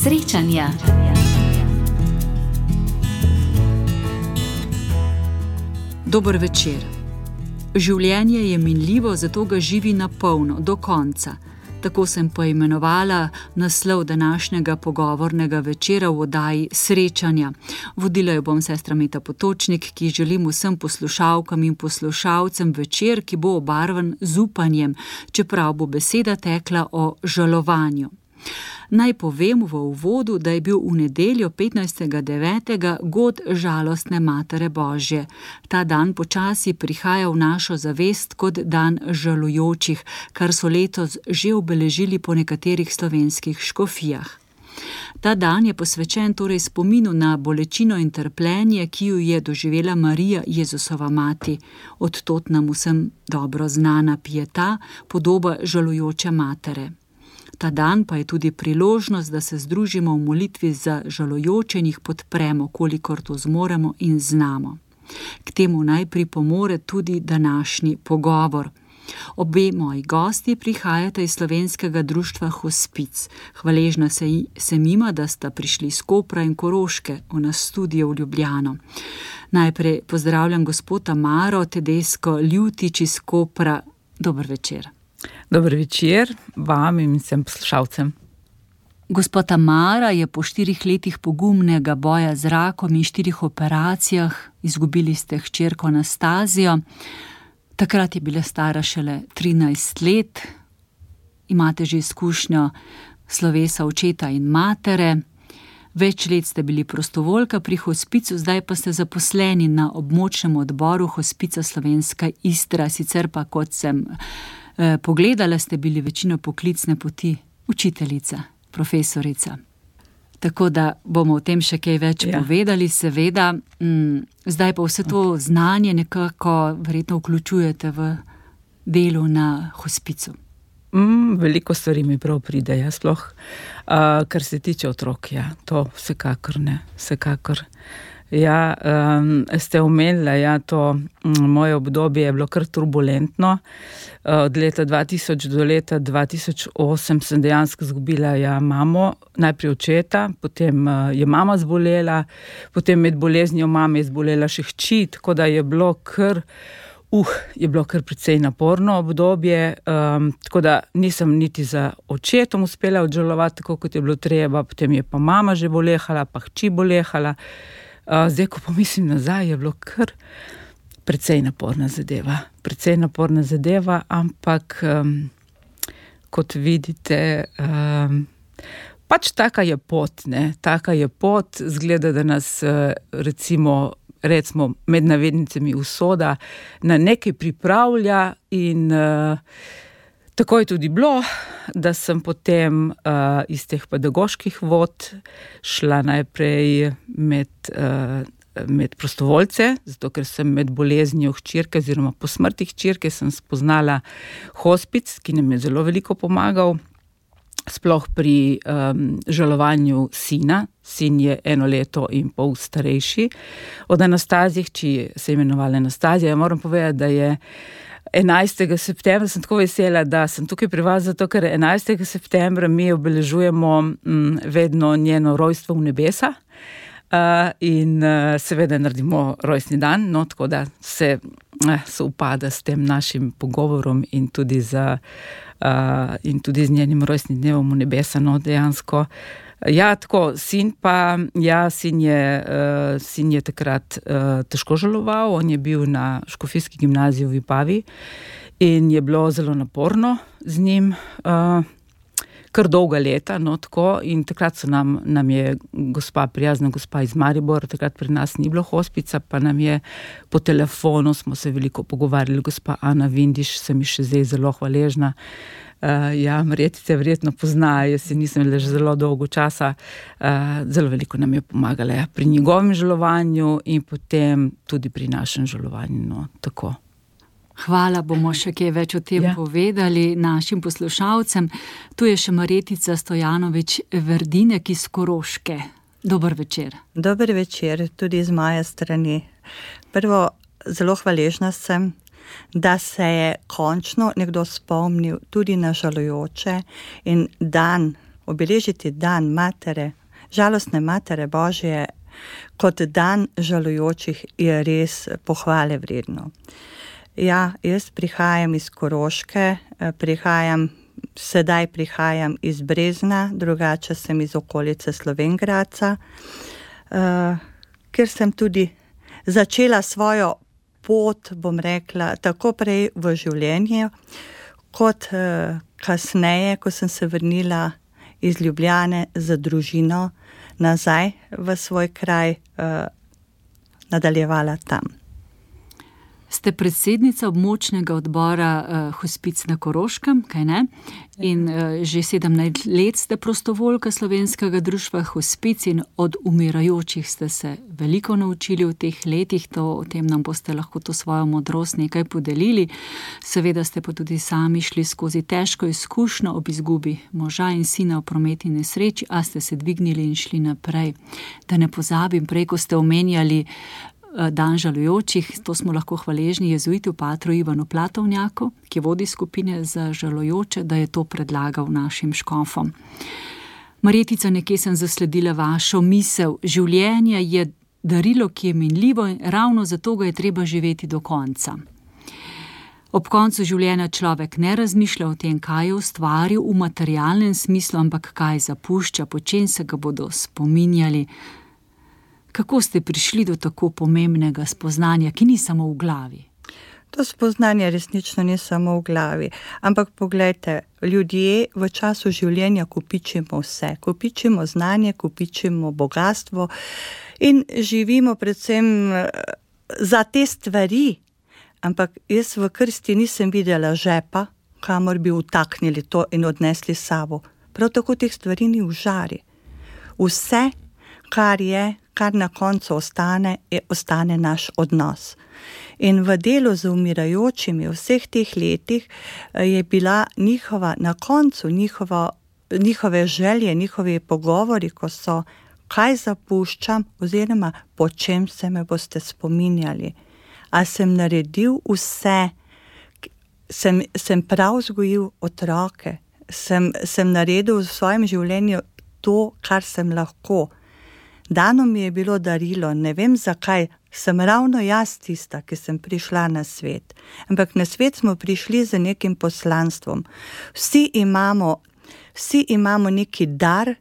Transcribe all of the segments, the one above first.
Srečanja. Dober večer. Življenje je minljivo, zato ga živi na polno, do konca. Tako sem poimenovala naslov današnjega pogovornega večera v oddaji Srečanja. Vodila jo bom sestra Meta Potočnik, ki želim vsem poslušalkam in poslušalcem večer, ki bo obarvan z upanjem, čeprav bo beseda tekla o žalovanju. Naj povem v uvodu, da je bil v nedeljo 15.9. god žalostne Matere Božje. Ta dan počasi prihaja v našo zavest kot dan žalujočih, kar so letos že obeležili po nekaterih slovenskih škofijah. Ta dan je posvečen torej spominu na bolečino in trpljenje, ki jo je doživela Marija, Jezusova mati. Od tod nam vsem dobro znana pieta, podoba žalujoče matere. Ta dan pa je tudi priložnost, da se združimo v molitvi za žalujoče in jih podpremo, kolikor to zmoremo in znamo. K temu naj pripomore tudi današnji pogovor. Obe moji gosti prihajata iz slovenskega društva Hospic. Hvaležna sem jima, da sta prišli iz Kopra in Koroške v nas studio v Ljubljano. Najprej pozdravljam gospoda Tamaro Tedesco Ljutič iz Kopra. Dober večer. Dober večer vam in vsem poslušalcem. Gospod Tamara je po 4 letih pogumnega boja z rakom in 4 operacijah, izgubili ste hčerko Anastazijo. Takrat je bila stara šele 13 let. Imate že izkušnjo slovesa očeta in matere. Več let ste bili prostovoljka pri Hospicu, zdaj pa ste zaposleni na območnem odboru Hospica Slovenska Istra. Sicer pa, kot sem pogledala, ste bili večino poklicne poti učiteljica, profesorica. Tako da bomo o tem še kaj več povedali, seveda. Zdaj pa vse to znanje nekako verjetno vključujete v delu na Hospicu. Veliko stvari mi prav pride, sploh, kar se tiče otrok, to vsekakor ne, vsekakor. Ste omenila, to moje obdobje je bilo kar turbulentno. Od leta 2000 do leta 2008 sem dejansko izgubila mamo, najprej očeta, potem je mama zbolela, potem med boleznijo mame je zbolela še hči, tako da je bilo kar precej naporno obdobje, tako da nisem niti za očetom uspela odžalovati, tako kot je bilo treba, potem je pa mama že bolehala, pa hči bolehala. Zdaj, ko pomislim nazaj, je bilo kar precej naporna zadeva, ampak kot vidite, pač taka je pot, zgleda, da nas recimo med navednicami usoda na nekaj pripravlja in tako je tudi bilo, da sem potem iz teh pedagoških vod šla najprej med prostovoljce, zato ker sem med boleznijo hčerke oziroma po smrti hčerke sem spoznala Hospic, ki nam je zelo veliko pomagal, sploh pri žalovanju sina. Sin je 1 leto in pol starejši od Anastazije, hči se je imenovala Anastazija. Moram povedati, da je 11. septembra, sem tako vesela, da sem tukaj pri vas, zato ker 11. septembra mi obeležujemo vedno njeno rojstvo v nebesa in seveda naredimo rojstni dan, tako da se upada s tem našim pogovorom in tudi z njenim rojstnim dnevom v nebesa, dejansko. Tako, sin je takrat težko žaloval, on je bil na škofijski gimnaziji v Vipavi in je bilo zelo naporno z njim, kar dolga leta, tako, in takrat nam je prijazna gospa iz Maribora, takrat pri nas ni bilo Hospica, pa nam je po telefonu, smo se veliko pogovarjali, gospa Ana Vindiš, sem ji še zdaj zelo hvaležna. Marjetice verjetno pozna, jaz si nisem le že zelo dolgo časa, zelo veliko nam je pomagala pri njegovem žalovanju in potem tudi pri našem žalovanju, tako. Hvala, bomo še kaj več o tem povedali našim poslušalcem. Tu je še Marjetica Stojanovič Verdinek iz Koroške. Dober večer. Dober večer, tudi z moje strani. Prvo, zelo hvaležna sem, da se je končno nekdo spomnil tudi na žalujoče in dan obeležiti dan matere, žalostne matere Božje, kot dan žalujočih, je res pohvale vredno. Ja, jaz prihajam iz Koroške, sedaj prihajam iz Brezna, drugače sem iz okolice Slovenj Gradca, kjer sem tudi začela svojo pot, bom rekla, tako prej v življenju, kot kasneje, ko sem se vrnila iz Ljubljane z družino nazaj v svoj kraj, nadaljevala tam. Ste predsednica območnega odbora Hospic na Koroškem, kaj ne? In že 17 let ste prostovoljka Slovenskega društva Hospic in od umirajočih ste se veliko naučili v teh letih, o tem nam boste lahko to svojo modrost nekaj podelili. Seveda ste pa tudi sami šli skozi težko izkušnjo ob izgubi moža in sina v prometni nesreči, a ste se dvignili in šli naprej. Da ne pozabim, prej, ko ste omenjali dan žalujočih, to smo lahko hvaležni jezuitu patru Ivanu Platovnjaku, ki vodi skupine za žalujoče, da je to predlagal našim škofom. Marjetica, nekje sem zasledila vašo misel. Življenje je darilo, ki je minljivo in ravno zato ga je treba živeti do konca. Ob koncu življenja človek ne razmišlja o tem, kaj je ustvaril v materialnem smislu, ampak kaj zapušča, po čem se ga bodo spominjali. Kako ste prišli do tako pomembnega spoznanja, ki ni samo v glavi? To spoznanje resnično ni samo v glavi, ampak poglejte, ljudje v času življenja kopičimo vse. Kopičimo znanje, kopičimo bogatstvo in živimo predvsem za te stvari. Ampak jaz v krsti nisem videla žepa, kamor bi vtaknili to in odnesli s sabo. Prav tako teh stvari ni v žari. Vse, kar na koncu ostane naš odnos. In v delu z umirajočimi vseh teh letih je bila na koncu njihove želje, njihovi pogovori, ko so, kaj zapuščam oziroma po čem se me boste spominjali. A sem naredil vse, sem prav vzgojil otroke, sem naredil v svojem življenju to, kar sem lahko. Dano mi je bilo darilo, ne vem zakaj, sem ravno jaz tista, ki sem prišla na svet. Ampak na svet smo prišli z nekim poslanstvom. Vsi imamo neki dar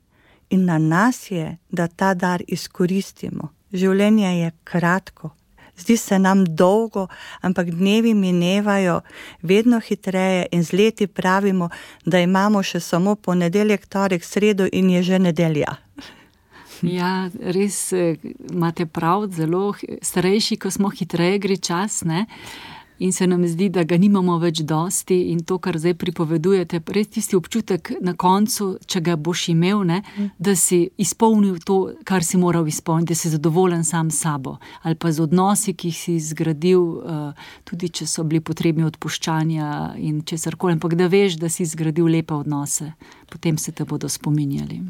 in na nas je, da ta dar izkoristimo. Življenje je kratko, zdi se nam dolgo, ampak dnevi minevajo vedno hitreje in z leti pravimo, da imamo še samo ponedeljek, torek, sredo in je že nedelja. Ja, res imate prav, zelo starejši, ko smo, hitreje gre čas, ne? In se nam zdi, da ga nimamo več dosti in to, kar zdaj pripovedujete, res tisti občutek na koncu, če ga boš imel, ne? Da si izpolnil to, kar si moral izpolniti, da si zadovoljen sam s sabo ali pa z odnosi, ki jih si zgradil, tudi če so bili potrebni odpuščanja in česarkoli, ampak da veš, da si zgradil lepe odnose, potem se te bodo spominjali.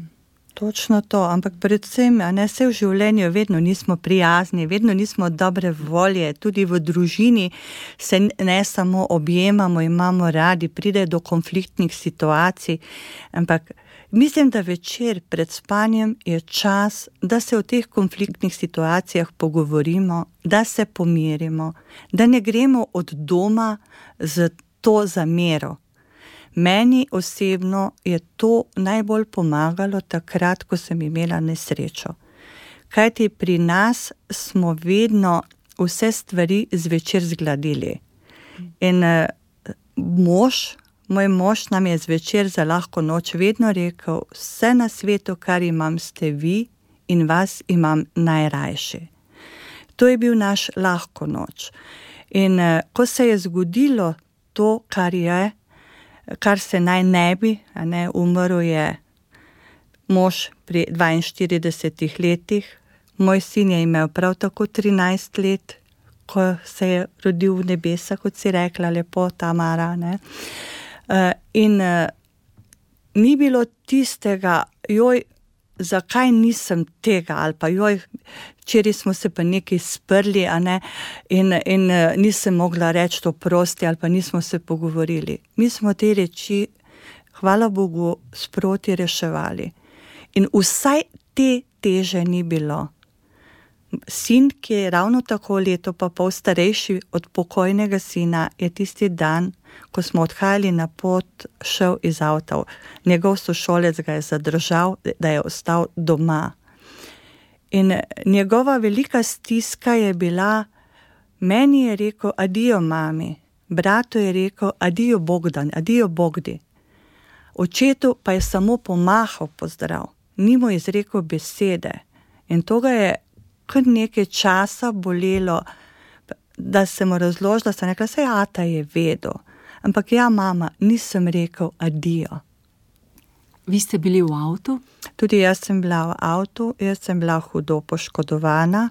Točno to, ampak predvsem, vse v življenju vedno nismo prijazni, vedno nismo dobre volje, tudi v družini se ne samo objemamo, imamo radi, pride do konfliktnih situacij, ampak mislim, da večer pred spanjem je čas, da se o teh konfliktnih situacijah pogovorimo, da se pomirimo, da ne gremo od doma z to zamero. Meni osebno je to najbolj pomagalo takrat, ko sem imela nesrečo. Kajti pri nas smo vedno vse stvari zvečer zgladili. In moj mož nam je zvečer za lahko noč vedno rekel, vse na svetu, kar imam, ste vi in vas imam najrajši. To je bil naš lahko noč. In ko se je zgodilo to, kar se naj ne bi, umrl je mož pri 42 letih, moj sin je imel prav tako 13 let, ko se je rodil v nebesa, kot si rekla lepo, Tamara, ne. In ni bilo tistega, zakaj nisem tega, ali pa včeraj smo se pa nekaj sprli, in nisem mogla reči to prosti, ali pa nismo se pogovorili. Mi smo te reči, hvala Bogu, sproti reševali. In vsaj te teže ni bilo. Sin, ki je ravno tako leto pa pol starejši od pokojnega sina, je tisti dan, ko smo odhajali na pot, šel iz avta. Njegov sošolec ga je zadržal, da je ostal doma. In njegova velika stiska je bila, meni je rekel, adijo mami, bratu je rekel, adijo Bogdan, adijo Bogdi. Očetu pa je samo pomahal pozdrav, ni mu izrekel besede. In to ga je kar nekaj časa bolelo, da se mu razložila, sem rekla, saj ata je vedel. Ampak ja, mama, nisem rekel adijo. Vi ste bili v avtu? Tudi jaz sem bila v avtu, jaz sem bila hudo poškodovana.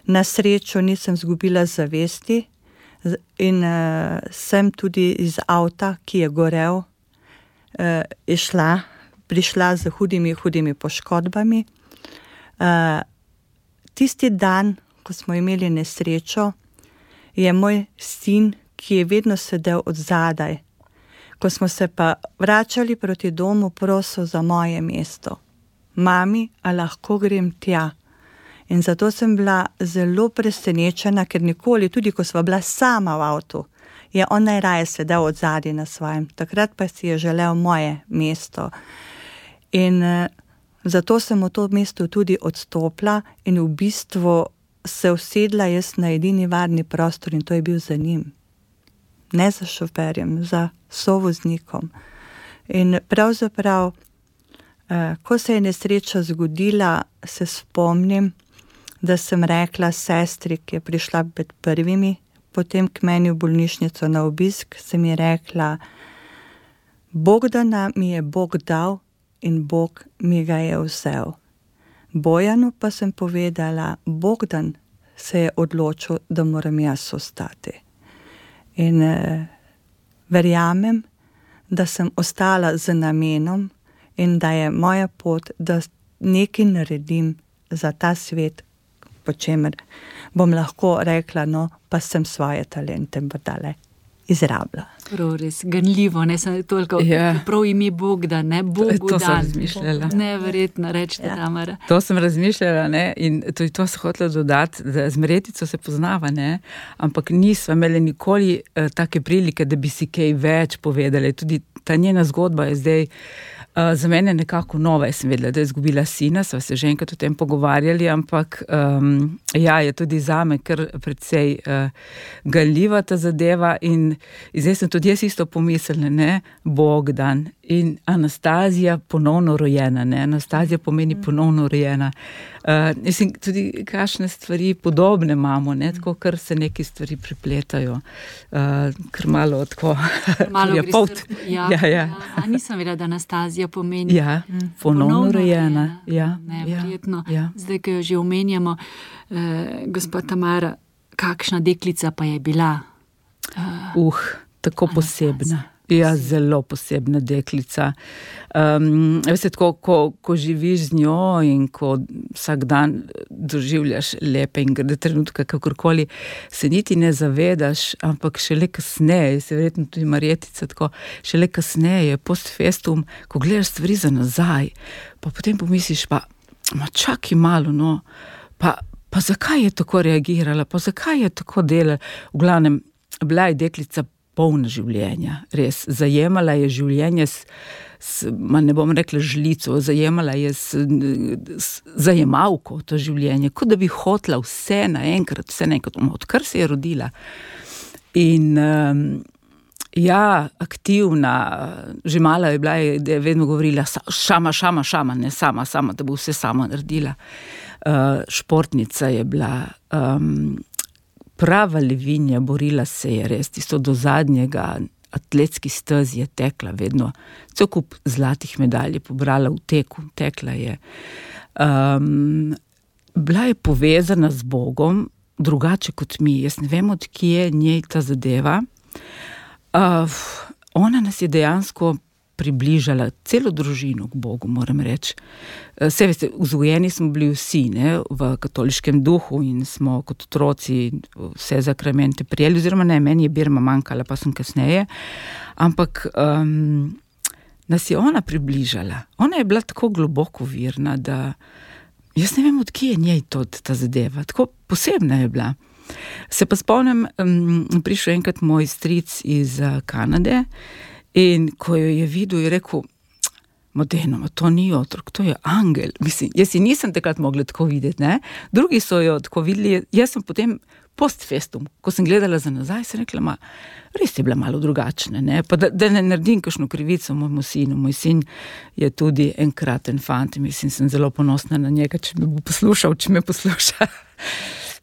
Na srečo nisem zgubila zavesti in sem tudi iz avta, ki je gorel, prišla z hudimi poškodbami. Tisti dan, ko smo imeli nesrečo, je moj sin, ki je vedno sedel odzadaj, ko smo se pa vračali proti domu, prosil za moje mesto. Mami, a lahko grem tja? In zato sem bila zelo presenečena, ker nikoli, tudi ko sva bila sama v avtu, je on najraje sedel odzadaj na svojem. Takrat pa si je želel moje mesto. In zato sem v to mesto tudi odstopila in v bistvu se usedla jaz na edini varni prostor in to je bil za njim. Ne za šoferjem, za sovoznikom. In pravzaprav, ko se je nesreča zgodila, se spomnim, da sem rekla sestri, ki je prišla med prvimi, potem k meni v bolnišnico na obisk, sem ji rekla, Bogdana mi je Bog dal, in Bog mi ga je vzel. Bojanu pa sem povedala, Bogdan se je odločil, da moram jaz ostati. In verjamem, da sem ostala z namenom in da je moja pot, da nekaj naredim za ta svet, po čemer bom lahko rekla, no, pa sem svoje talente brdale izrabila. Prav res, ganljivo, ne samo toliko, prav ime Bogdan, ne Bogu to dan. Sem razmišljala. Neverjetno, rečete, Tamara. To sem razmišljala, ne, in to sem hotela dodati, da z Marjetico se poznava, ne, ampak nisva imeli nikoli take prilike, da bi si kaj več povedali. Tudi ta njena zgodba je zdaj za mene nekako nova. Jaz sem vedela, da je izgubila sina, sva se že enkrat o tem pogovarjali, ampak je tudi zame kar precej ganljiva ta zadeva in zdaj sem tudi jaz isto pomislila, ne, Bogdan in Anastazija ponovno rojena, ne, Anastazija pomeni ponovno rojena. Mislim, tudi kakšne stvari podobne imamo, ne, tako kar se neki stvari pripletajo, kar malo tako, malo je pot. A nisem vedela, da Anastazija pomeni ponovno rojena. Neverjetno. Zdaj, ko jo že omenjamo, gospa Tamara, kakšna deklica pa je bila? Tako posebna. Ja, zelo posebna deklica. Veste, tako, ko živiš z njo in ko vsak dan doživljaš lepe in grde trenutke, kakorkoli, se niti ne zavedaš, ampak šele kasneje, se verjetno tudi Marjetica tako, šele kasneje, post festum, ko gledaš stvari za nazaj, pa potem pomisliš, pa čakaj malo, no, pa zakaj je tako reagirala, pa zakaj je tako delala, v glavnem, bila je deklica polna življenja, res, zajemala je življenje ne bom rekla žlico, zajemala je zajemalko to življenje, kot da bi hotela vse naenkrat, odkar se je rodila. In aktivna, že mala je bila, da je vedno govorila šama, ne sama, da bo vse sama naredila. Športnica je bila, prava levinja, borila se je res, tisto do zadnjega, atletski stezi je tekla vedno, cel kup zlatih medalj je pobrala v teku, tekla je. Bila je povezana z Bogom, drugače kot mi, jaz ne vem, od kje njej ta zadeva. Ona nas je dejansko približala celo družino k Bogu, moram reči. Vse veste, vzgojeni smo bili vsi, ne, v katoliškem duhu in smo kot otroci vse zakramente prijeli, oziroma ne, meni je birma manjkala, pa sem kasneje, ampak nas je ona približala. Ona je bila tako globoko virna, da jaz ne vem, od kje je njej ta zadeva. Tako posebna je bila. Se pa spomnim, prišel enkrat moj stric iz Kanade in ko jo je videl, je rekel, Modeno, to ni otrok, to je angel. Mislim, jaz si nisem takrat mogla tako videti, ne? Drugi so jo tako videli, jaz sem potem post festum, ko sem gledala za nazaj, sem rekla, res je bila malo drugačna, ne? Pa da ne naredim kakšno krivico mojemu sinu. Moj sin je tudi enkraten fant, mislim, sem zelo ponosna na njega, če me bo poslušal,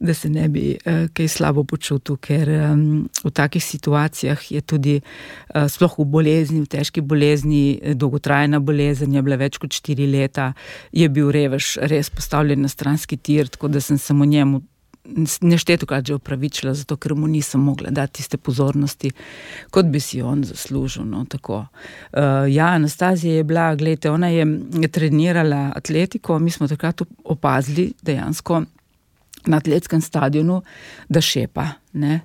da se ne bi kaj slabo počutil, ker v takih situacijah je tudi sploh v bolezni, v težki bolezni, dolgotrajna bolezen je bila več kot 4 leta, je bil revež res postavljen na stranski tir, tako da sem samo njemu neštetokrat že opravičila, zato ker mu nisem mogla dati tiste pozornosti, kot bi si on zaslužil, no, tako. Anastazija je bila, gledajte, ona je trenirala atletiko, mi smo takrat opazili dejansko na atletskem stadionu, da šepa, ne.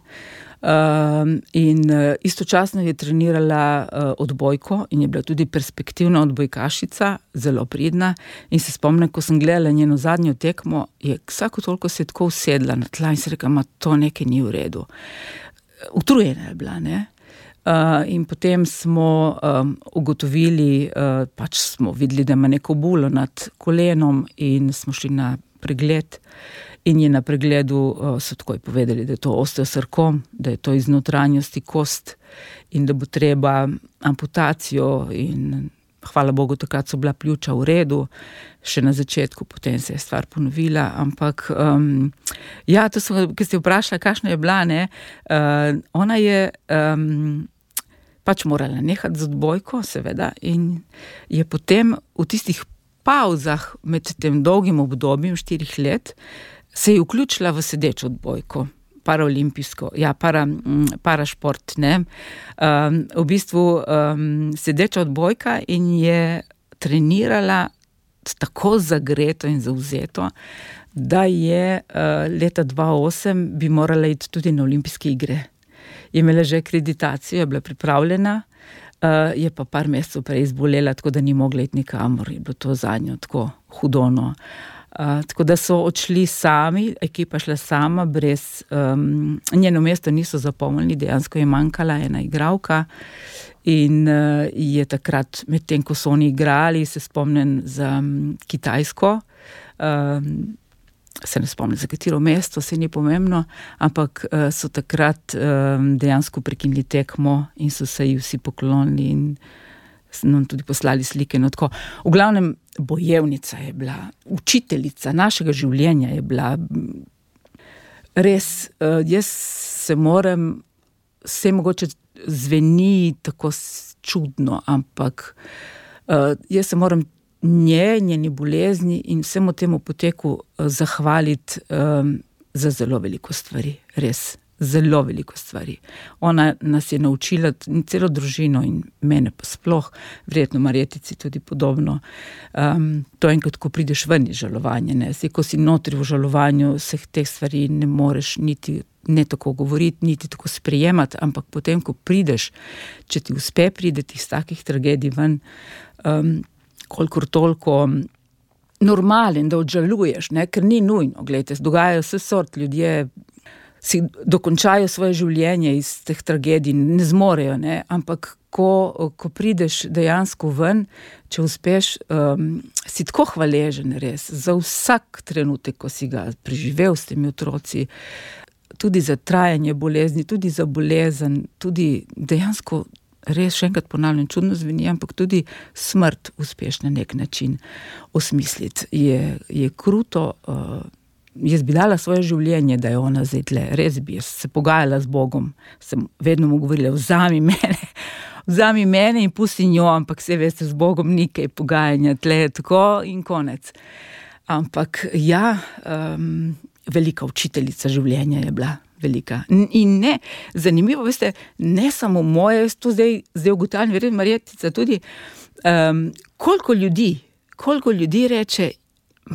In istočasno je trenirala odbojko in je bila tudi perspektivna odbojkašica, zelo pridna, in se spomnim, ko sem gledala njeno zadnjo tekmo, je vsako toliko se tako usedla na tla in se rekla, to nekaj ni v redu. Utrujena je bila, ne. In potem smo ugotovili, pač smo videli, da ima neko bulo nad kolenom in smo šli na pregled in je na pregledu so takoj povedali, da je to osteosarkom, da je to iz notranjosti kost in da bo treba amputacijo in hvala Bogu, takrat so bila pljuča v redu, še na začetku, potem se je stvar ponovila, ampak to sem, ki ste vprašala, kakšna je bila, ne, ona je pač morala nehati z odbojko, seveda, in je potem v tistih pavzah med tem dolgim obdobjem 4 let se je vključila v sedečo odbojko, paraolimpijsko, parašport, ne. V bistvu sedeča odbojka in je trenirala tako zagreto in zavzeto, da je leta 2008 bi morala iti tudi na olimpijske igre. Je imela že akreditacijo, je bila pripravljena, je pa par mesecev prej zbolela, tako da ni mogla iti nikamor, je bilo to zanjo tako hudono. Tako da so odšli sami, ekipa šla sama, brez njeno mesto niso zapomnili, dejansko je manjkala ena igralka in je takrat, medtem ko so oni igrali, se spomnim za Kitajsko, se ne spomnim za katero mesto, se ni pomembno, ampak so takrat dejansko prekinili tekmo in so se ji vsi poklonili in nam tudi poslali slike, no tako. V glavnem, bojevnica je bila, učiteljica našega življenja je bila, res, jaz se moram, vse mogoče zveni tako čudno, ampak jaz se moram njeni bolezni in vsemu temu poteku zahvaliti za zelo veliko stvari, res. Zelo veliko stvari. Ona nas je naučila, celo družino in mene pa sploh, verjetno Marjetici tudi podobno. To enkrat, ko prideš ven iz žalovanja, ne. Ko si notri v žalovanju, vseh teh stvari ne moreš niti ne tako govoriti, niti tako sprejemati, ampak potem, ko prideš, če ti uspe prideti iz takih tragedij ven, kolikor toliko normalen, da odžaluješ, ne, ker ni nujno, gledajte, dogajajo vse sort, ljudje si dokončajo svoje življenje iz teh tragedij, ne zmorejo, ne, ampak ko prideš dejansko ven, če uspeš, si tako hvaležen res, za vsak trenutek, ko si ga preživel s temi otroci, tudi za trajanje bolezni, tudi za bolezen, tudi dejansko res, še enkrat ponavljam, čudno zveni, ampak tudi smrt uspeš na nek način osmisliti. Je kruto, jaz bi dala svoje življenje, da je ona zdaj tle, res bi, jaz se pogajala z Bogom, sem vedno mu govorila, vzami mene in pusti njo, ampak vse veste, z Bogom ni kaj pogajanja, tle je tako in konec. Ampak velika učiteljica življenja je bila, velika. In ne, zanimivo, veste, ne samo moje, jaz to zdaj ugotavljam, verjetno Marjetica tudi, koliko ljudi reče,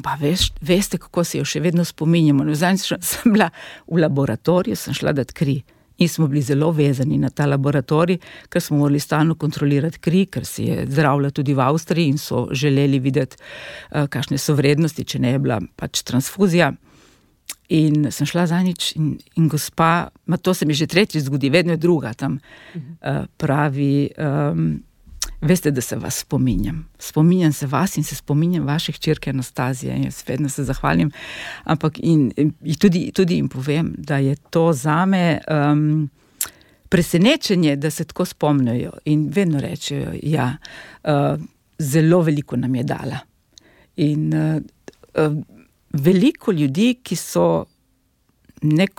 pa veste, kako se jo še vedno spominjamo. Zadnjič sem bila v laboratoriju, sem šla dat kri In smo bili zelo vezani na ta laboratorij, ker smo morali stalno kontrolirati kri, ker se je zdravila tudi v Avstriji in so želeli videti, kakšne so vrednosti, če ne je bila pač transfuzija. In sem šla zadnjič in gospa, to se mi že tretjič zgodi, vedno je druga tam, pravi, veste, da se vas spominjam. Spominjam se vas in se spominjam vaše hčerke Anastazije in jaz vedno se zahvalim. Ampak in tudi jim povem, da je to zame presenečenje, da se tako spomnijo in vedno rečejo, ja, zelo veliko nam je dala. In veliko ljudi, ki so,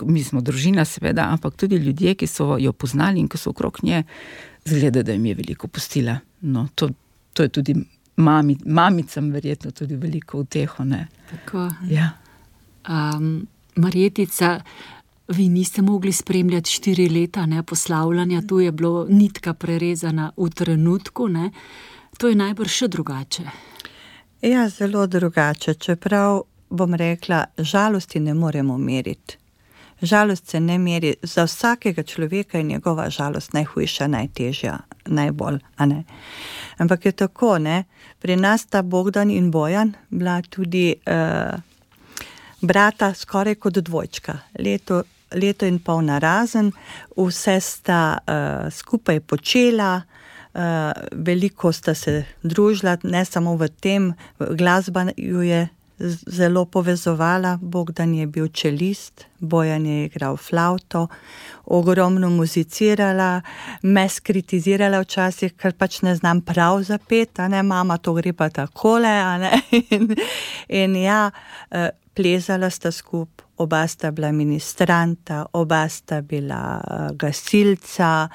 mi smo družina seveda, ampak tudi ljudje, ki so jo poznali in ki so okrog nje, zgleda, da jim je veliko pustila. No, to je tudi mamicam verjetno tudi veliko uteho, ne. Tako. Ja. Marjetica, vi niste mogli spremljati 4 leta, ne, poslavljanja, tu je bilo nitka prerezana v trenutku, ne. To je najbrž še drugače. Ja, zelo drugače, čeprav bom rekla, žalosti ne moremo meriti. Žalost se ne meri, za vsakega človeka je njegova žalost najhujša, najtežja, najbolj, a ne. Ampak je tako, ne, pri nas sta Bogdan in Bojan bila tudi brata skoraj kot dvojčka. Leto in pol narazen, vse sta skupaj počela, veliko sta se družila, ne samo v tem, glasba ju je zelo povezovala, Bogdan je bil čelist, Bojan je igral flavto, ogromno muzicirala, me skritizirala včasih, ker pač ne znam prav zapeti, a ne, mama, to gre pa takole, a ne, in ja, plezala sta skup, oba sta bila ministranta, oba sta bila gasilca,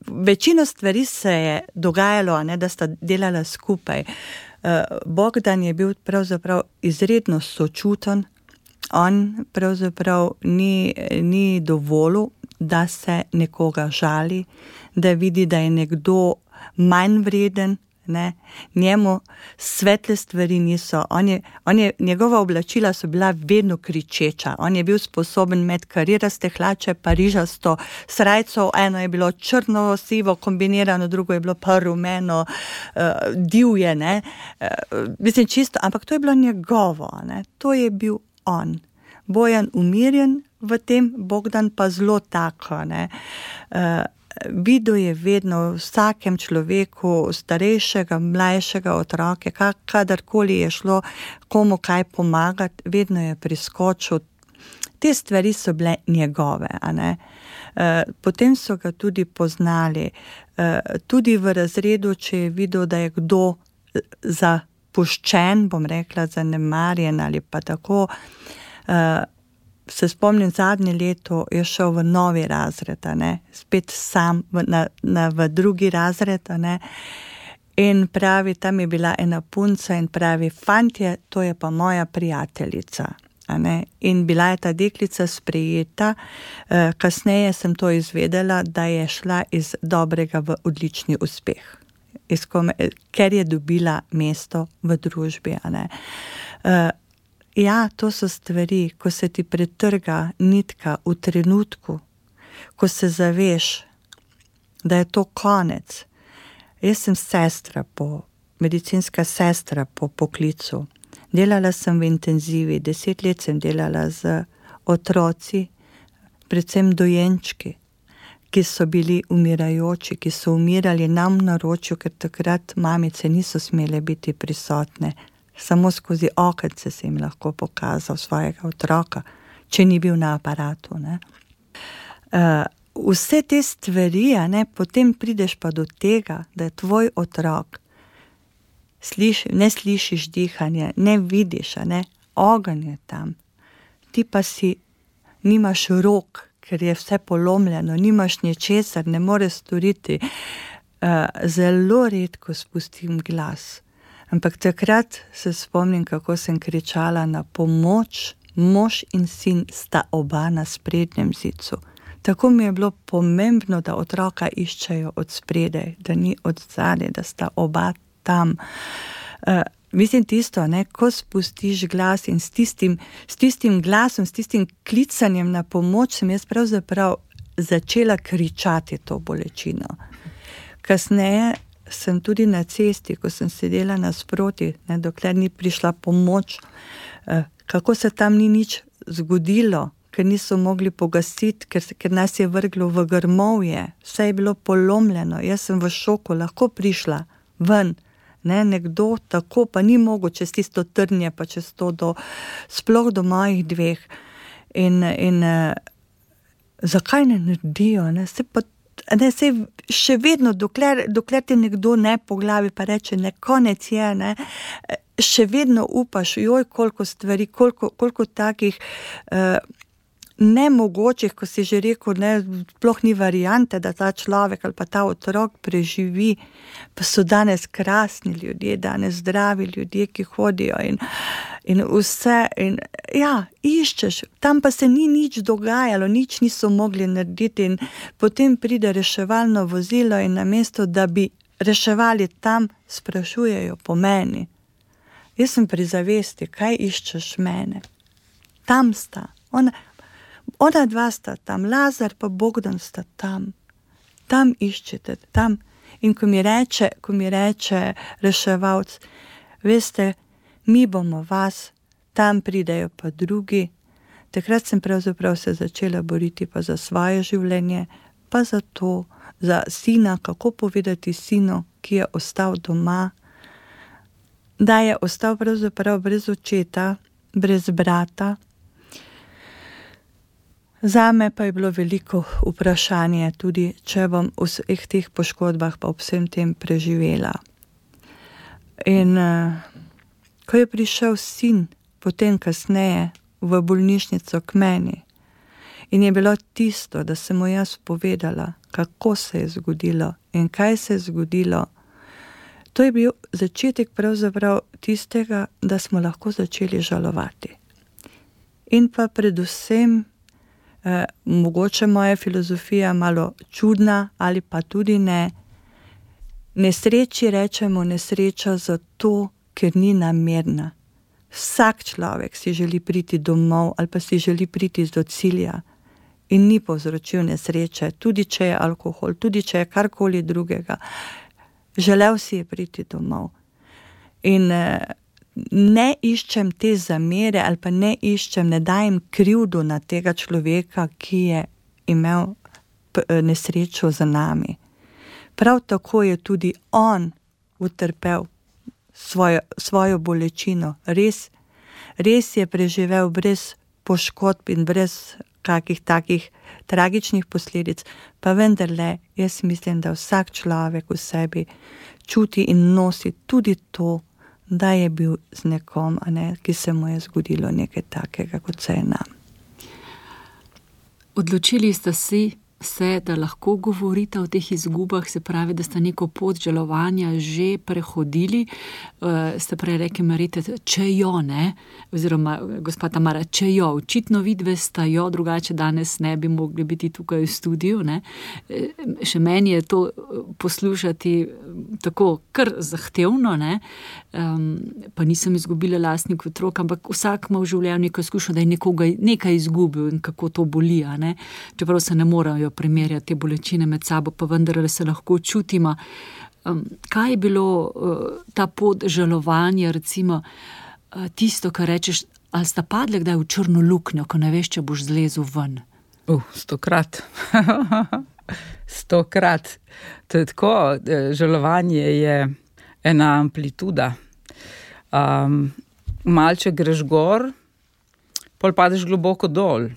večino stvari se je dogajalo, a ne, da sta delala skupaj. Bogdan je bil pravzaprav izredno sočuten, on pravzaprav ni dovolil, da se nekoga žali, da vidi, da je nekdo manj vreden, ne, njemu svetle stvari niso, njegova oblačila so bila vedno kričeča, on je bil sposoben imeti kariraste hlače, parižasto srajco, eno je bilo črno-sivo kombinirano, drugo je bilo pa rumeno, divje, ne, mislim čisto, ampak to je bilo njegovo, ne, to je bil on. Bojan umirjen v tem, Bogdan pa zelo tako, ne, videl je vedno v vsakem človeku, starejšega, mlajšega otroke, kadarkoli je šlo komu kaj pomagati, vedno je priskočil. Te stvari so bile njegove, a ne. Potem so ga tudi poznali, tudi v razredu, če je videl, da je kdo zapuščen, bom rekla, zanemarjen ali pa tako, se spomnim, zadnje leto je šel v novi razred, ne, spet sam v drugi razred, ne, in pravi, tam je bila ena punca in pravi, fantje, to je pa moja prijateljica, ne, in bila je ta deklica sprejeta, kasneje sem to izvedela, da je šla iz dobrega v odlični uspeh, ker je dobila mesto v družbi, ne. Ja, to so stvari, ko se ti pretrga nitka v trenutku, ko se zaveš, da je to konec. Jaz sem medicinska sestra po poklicu. Delala sem v intenzivi, 10 let sem delala z otroci, predvsem dojenčki, ki so bili umirajoči, ki so umirali nam v naročju, ker takrat mamice niso smele biti prisotne. Samo skozi okence se jim lahko pokazal svojega otroka, če ni bil na aparatu, ne. Vse te stvari, ne, potem prideš pa do tega, da je tvoj otrok, ne slišiš dihanja, ne vidiš, ne, ogenj je tam, ti pa nimaš rok, ker je vse polomljeno, nimaš ničesar, ne moreš storiti, zelo redko spustim glas. Ampak takrat se spomnim, kako sem kričala na pomoč, mož in sin sta oba na sprednjem zidu. Tako mi je bilo pomembno, da otroka iščejo od spredaj, da ni od zadaj, da sta oba tam. mislim tisto, ne, ko spustiš glas in s tistim glasom, s tistim klicanjem na pomoč, sem jaz pravzaprav začela kričati to bolečino. Kasneje sem tudi na cesti, ko sem sedela nasproti, ne, dokler ni prišla pomoč, kako se tam ni nič zgodilo, ker niso mogli pogasiti, ker nas je vrglo v grmovje, vse je bilo polomljeno, jaz sem v šoku lahko prišla ven, ne, nekdo tako pa ni mogel čez tisto trnje, pa čez to sploh do mojih dveh. In zakaj ne naredijo, ne, se še vedno, dokler te nekdo ne po glavi pa reče, ne, konec je, ne, še vedno upaš, joj, koliko stvari, koliko takih nemogočih, ko si že rekel, ne, sploh ni variante, da ta človek ali pa ta otrok preživi, pa so danes krasni ljudje, danes zdravi ljudje, ki hodijo in vse, in ja, iščeš, tam pa se ni nič dogajalo, nič niso mogli narediti in potem pride reševalno vozilo in namesto, da bi reševali tam, sprašujejo po meni. Jaz sem pri zavesti, kaj iščeš mene? Tam sta, ona dva sta tam, Lazar pa Bogdan sta tam. Tam iščete, tam. In ko mi reče reševalc, veste, mi bomo vas, tam pridejo pa drugi. Takrat sem pravzaprav se začela boriti pa za svoje življenje, pa za to, za sina, kako povedati sinu, ki je ostal doma, da je ostal pravzaprav brez očeta, brez brata. Zame pa je bilo veliko vprašanje tudi, če bom v vseh teh poškodbah pa ob vsem tem preživela. In ko je prišel sin potem kasneje v bolnišnico k meni in je bilo tisto, da sem mu jaz povedala, kako se je zgodilo in kaj se je zgodilo, to je bil začetek pravzaprav tistega, da smo lahko začeli žalovati. In pa predvsem mogoče moja filozofija malo čudna ali pa tudi ne. Nesreči rečemo nesreča zato, ker ni namerna. Vsak človek si želi priti domov ali pa si želi priti do cilja in ni povzročil nesreče, tudi če je alkohol, tudi če je karkoli drugega. Želel si je priti domov. In ne iščem te zamere ali pa ne dajem krivdo na tega človeka, ki je imel nesrečo za nami. Prav tako je tudi on utrpel svojo bolečino. Res je preživel brez poškodb in brez kakih takih tragičnih posledic, pa vendarle jaz mislim, da vsak človek v sebi čuti in nosi tudi to, da je bil z nekom, ki se mu je zgodilo nekaj takega, kot se je nam. Odločili ste se, da lahko govorite o teh izgubah, se pravi, da ste neko pot žalovanja že prehodili. Ste prej rekli, Marita, če jo, ne? Oziroma, gospa Tamara, če jo, očitno vidve sta jo, drugače danes ne bi mogli biti tukaj v studiu, ne? Še meni je to poslušati tako kar zahtevno, ne? Pa nisem izgubila lastnih otrok, ampak vsak ima v življenju neko izkušnjo, da je nekaj izgubil in kako to boli, ne? Čeprav se ne morajo primerjati te bolečine med sabo, pa vendar se lahko čutimo. Kaj je bilo ta pot žalovanja, recimo tisto, kar rečeš, ali sta padle kdaj v črno luknjo, ko ne veš, če boš zlezel ven? 100-krat. 100-krat. To je tako, žalovanje je ena amplituda. Malček greš gor, pol padeš globoko dol,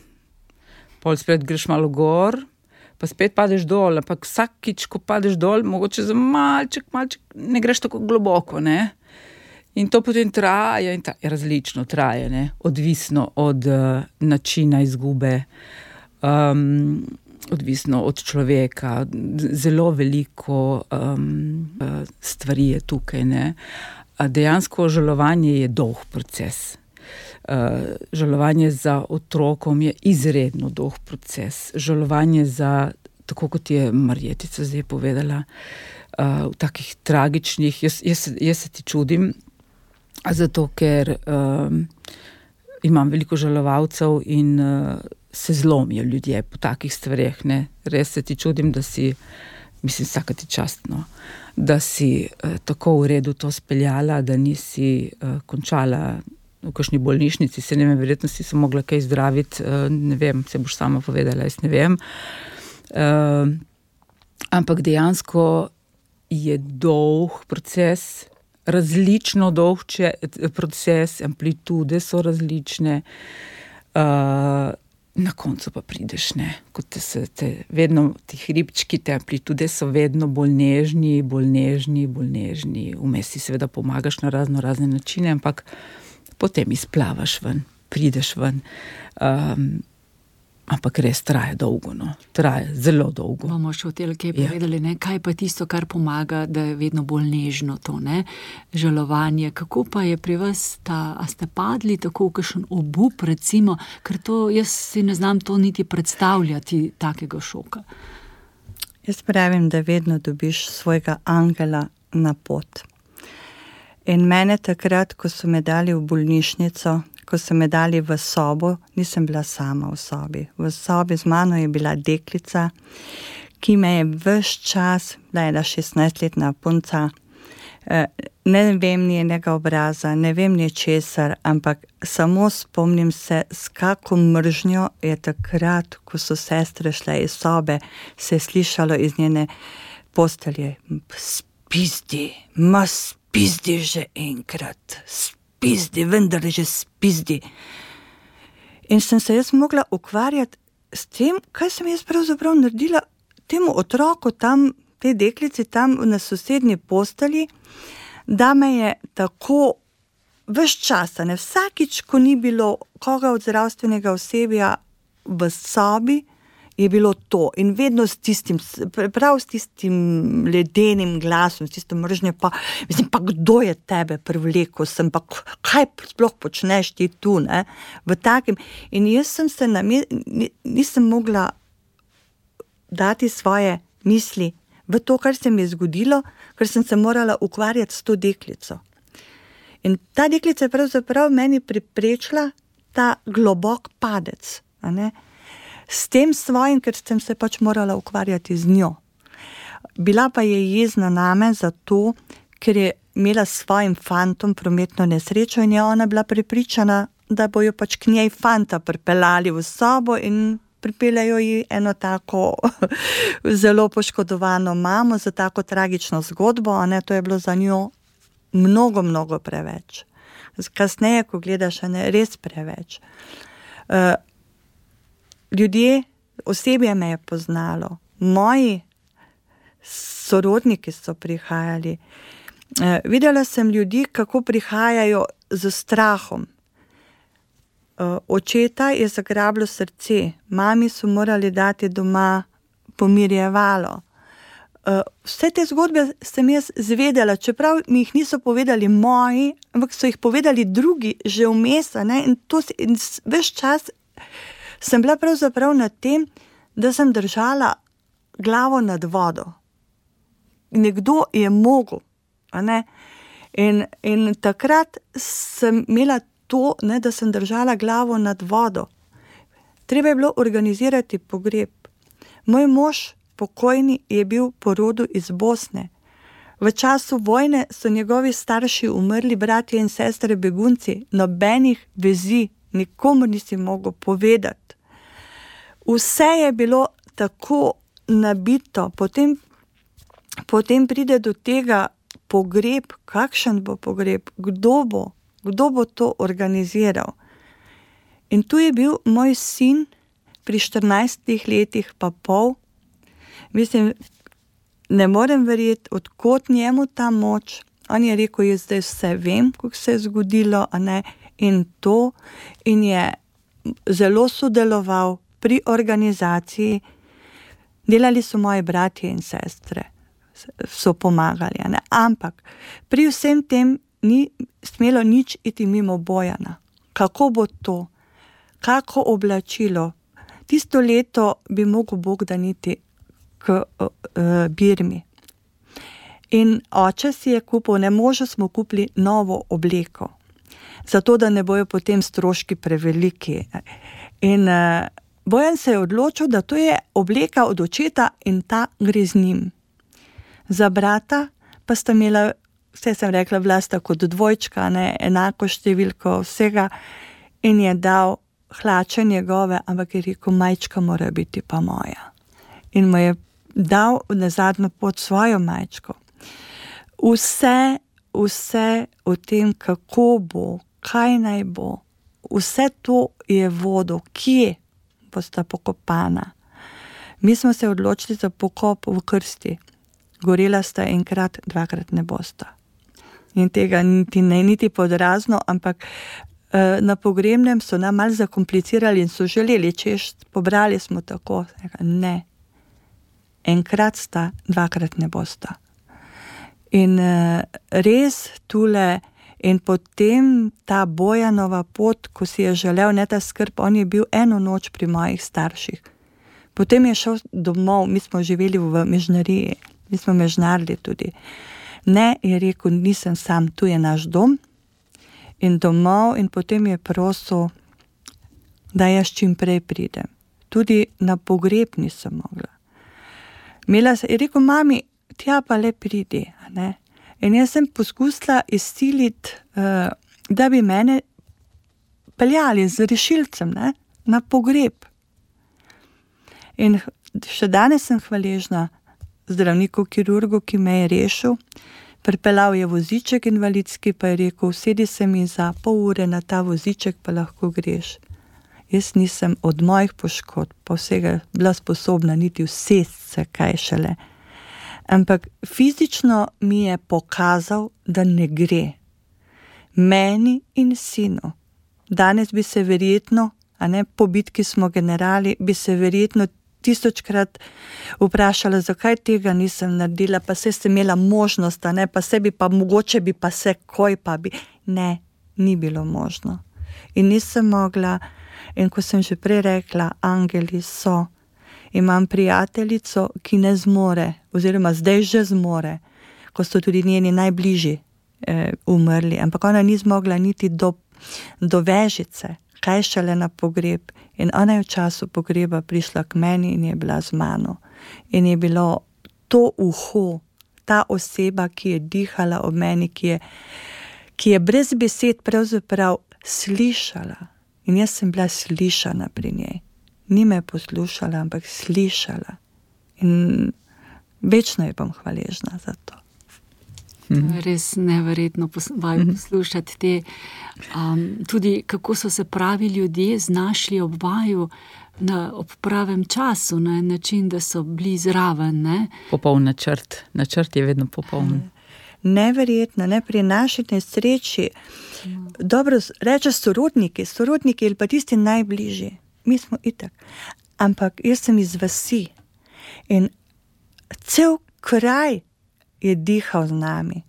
pol spet greš malo gor, pa spet padeš dol, ampak vsakič, ko padeš dol, mogoče za malček ne greš tako globoko, ne? In to potem traja, in različno traja, ne? Odvisno od načina izgube, odvisno od človeka, zelo veliko stvari je tukaj, ne? Dejansko žalovanje je dolg proces. Žalovanje za otrokom je izredno dolg proces. Žalovanje za, tako kot je Marjetica zdaj povedala, v takih tragičnih, jaz se ti čudim, zato ker imam veliko žalovalcev in se zlomijo ljudje po takih stvareh, ne. Res se ti čudim, da si, mislim, vsaka ti čast, no, da si tako v redu to speljala, da nisi končala v kakšni bolnišnici, se ne vem, verjetno si se mogla kaj zdraviti, ne vem, se boš sama povedala, jaz ne vem. Ampak dejansko je dolg proces, različno dolg proces, amplitude so različne, na koncu pa prideš, ne, kot vedno ti hribčki, te amplitude so vedno bolj nežni, vmes si seveda pomagaš na razne načine, ampak potem izplavaš ven, prideš ven, ampak res traja dolgo, no, traja zelo dolgo. Bomo še v kaj povedali, ne, kaj pa tisto, kar pomaga, da je vedno bolj nežno to, ne, žalovanje. Kako pa je pri vas a ste padli tako v kakšen obup, recimo, ker to, jaz si ne znam to niti predstavljati, takega šoka. Jaz pravim, da vedno dobiš svojega angela na pot. In mene takrat, ko so me dali v bolnišnico, ko so me dali v sobo, nisem bila sama v sobi. V sobi z mano je bila deklica, ki me je ves čas, bila je 16-letna punca, ne vem njenega obraza, ne vem ničesar, ampak samo spomnim se, s kako mržnjo je takrat, ko so sestre šle iz sobe, se je slišalo iz njene postelje: spizdi, spizdi že enkrat, spizdi, vendar že spizdi. In sem se jaz mogla ukvarjati s tem, kaj sem jaz pravzaprav naredila temu otroku tam, tej deklici tam na sosednji postelji, da me je tako ves časa, ne, vsakič, ko ni bilo koga od zdravstvenega osebja v sobi, je bilo to. In vedno s tistim, prav s tistim ledenim glasom, s tistim mržnjo, pa mislim, pa kdo je tebe privlekel sem, pa kaj sploh počneš ti tu, ne, v takem. In jaz sem se nisem mogla dati svoje misli v to, kar se mi je zgodilo, ker sem se morala ukvarjati s to deklico. In ta deklica je pravzaprav meni preprečila ta globok padec, a ne, s tem svojim, ker sem se pač morala ukvarjati z njo. Bila pa je jezna name zato, ker je imela s svojim fantom prometno nesrečo in je ona bila prepričana, da bojo pač k njej fanta pripeljali v sobo in pripeljajo ji eno tako zelo poškodovano mamo za tako tragično zgodbo, a ne, to je bilo za njo mnogo preveč. Kasneje, ko gledaš, a ne, res preveč. Ljudje, osebje me je poznalo, moji sorodniki so prihajali. Videla sem ljudi, kako prihajajo z strahom. Očeta je zagrabilo srce, mami so morali dati doma pomirjevalo. Vse te zgodbe sem jaz zvedela, čeprav mi jih niso povedali moji, ampak so jih povedali drugi že vmes, ne, in ves čas sem bila pravzaprav na tem, da sem držala glavo nad vodo. Nekdo je mogel, a ne. In takrat sem imela to, ne, da sem držala glavo nad vodo. Treba je bilo organizirati pogreb. Moj mož, pokojni, je bil po rodu iz Bosne. V času vojne so njegovi starši umrli, bratje in sestre begunci, nobenih vezi, nikomur nisi mogel povedati. Vse je bilo tako nabito, potem pride do tega pogreb, kakšen bo pogreb, kdo bo to organiziral. In tu je bil moj sin pri 14 letih pa pol. Mislim, ne morem verjeti, od kod njemu ta moč. On je rekel, jaz zdaj vse vem, kako se je zgodilo, a ne, in je zelo sodeloval pri organizaciji. Delali so moji bratje in sestre, so pomagali, a ne, ampak pri vsem tem ni smelo nič iti mimo Bojana. Kako bo to? Kako oblačilo? Tisto leto bi mogel Bog daniti k Birmi. In oče si je kupil, ne možno smo kupili novo obleko, zato da ne bojo potem stroški preveliki. In Bojan se je odločil, da to je obleka od očeta in ta gre z njim. Za brata pa sta imela, vse sem rekla, Vlasta kot dvojčka, ne, enako številko vsega, in je dal hlače njegove, ampak je rekel, majčka mora biti pa moja. In mu je dal na zadnjo pot svojo majčko. Vse o tem, kako bo, kaj naj bo, vse to je vodo, kje bosta pokopana. Mi smo se odločili za pokop v krsti. Gorela sta enkrat, dvakrat ne bosta. In tega niti podrazno, ampak na pogrebnem so nam malo zakomplicirali in so želeli, češ, pobrali smo tako. Ne. Enkrat sta, dvakrat ne bosta. In res tule, in potem ta Bojanova pot, ko si je želel, ne ta skrb, on je bil eno noč pri mojih starših. Potem je šel domov, mi smo živeli v Mežnariji, mi smo mežnarili tudi. Ne, je rekel, nisem sam, tu je naš dom in domov, in potem je prosil, da jaz čim prej pridem. Tudi na pogreb nisem mogla. Je rekel, mami, tja pa le pridi, ne? In jaz sem poskusila izsiliti, da bi mene peljali z rešilcem, ne, na pogreb. In še danes sem hvaležna zdravniku, kirurgu, ki me je rešil. Pripeljal je voziček invalidski, pa je rekel, sedi se mi za pol ure na ta voziček, pa lahko greš. Jaz nisem od mojih poškodb pa vsega bila sposobna niti usesti se, kaj šele. Ampak fizično mi je pokazal, da ne gre. Meni in sinu. Danes bi se verjetno, a ne, po bitki smo generali, bi se verjetno 1000krat vprašala, zakaj tega nisem naredila, pa se sem imela možnost, a ne, pa se bi pa, mogoče bi pa se, koj pa bi. Ne, ni bilo možno. In nisem mogla, in ko sem že prej rekla, angeli so. Imam prijateljico, ki ne zmore, oziroma zdaj že zmore, ko so tudi njeni najbližji umrli, ampak ona ni zmogla niti do vežice, kaj šele na pogreb. In ona je v času pogreba prišla k meni in je bila z mano. In je bilo to uho, ta oseba, ki je dihala ob meni, ki je brez besed pravzaprav slišala. In jaz sem bila slišana pri njej. Ni me poslušala, ampak slišala. In večno je bom hvaležna za to. Res neverjetno poslušati te, tudi kako so se pravi ljudje znašli ob vaju ob pravem času, na način, da so bili zraven. Ne? Popoln načrt. Načrt je vedno popoln. Neverjetno, ne, pri naši nesreči. Dobro, reče sorodniki ali pa tisti najbližji. Mi smo itak. Ampak jaz sem iz vasi in cel kraj je dihal z nami.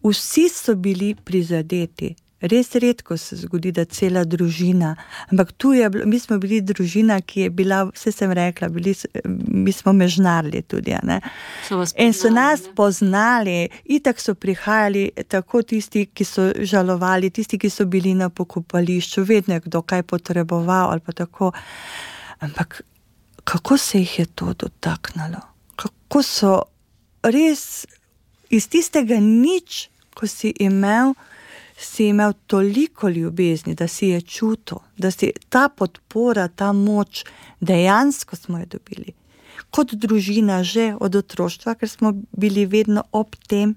Vsi so bili prizadeti. Res redko se zgodi, da cela družina, ampak mi smo bili družina, ki je bila, vse sem rekla, mi smo mežnarili tudi, ne. In so nas poznali, itak so prihajali, tako tisti, ki so žalovali, tisti, ki so bili na pokopališču, vedno je kdo kaj potreboval ali pa tako. Ampak kako se jih je to dotaknilo? Kako so res iz tistega nič, ko si imel toliko ljubezni, da si je čutil, da si ta podpora, ta moč, dejansko smo jo dobili. Kot družina že od otroštva, ker smo bili vedno ob tem,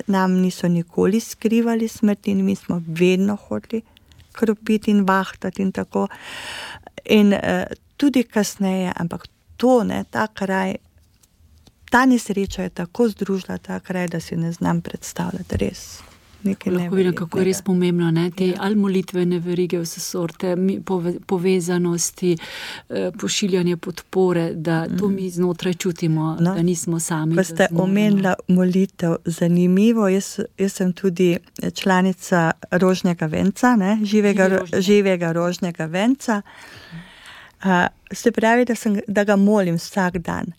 nam niso nikoli skrivali smrti in mi smo vedno hodili kropiti in vahtati in tako. In tudi kasneje, ampak to, ne, ta kraj, ta nesreča je tako združila ta kraj, da si ne znam predstavljati res. Lahko vidim, kako je res pomembno, ne? Te ali molitvene verige, vse sorte, povezanosti, pošiljanje podpore, da to mi znotraj čutimo, da nismo sami. Pa ste omenila molitev, zanimivo, jaz sem tudi članica Rožnega venca, ne? Živega Rožnega venca. Se pravi, da ga molim vsak dan.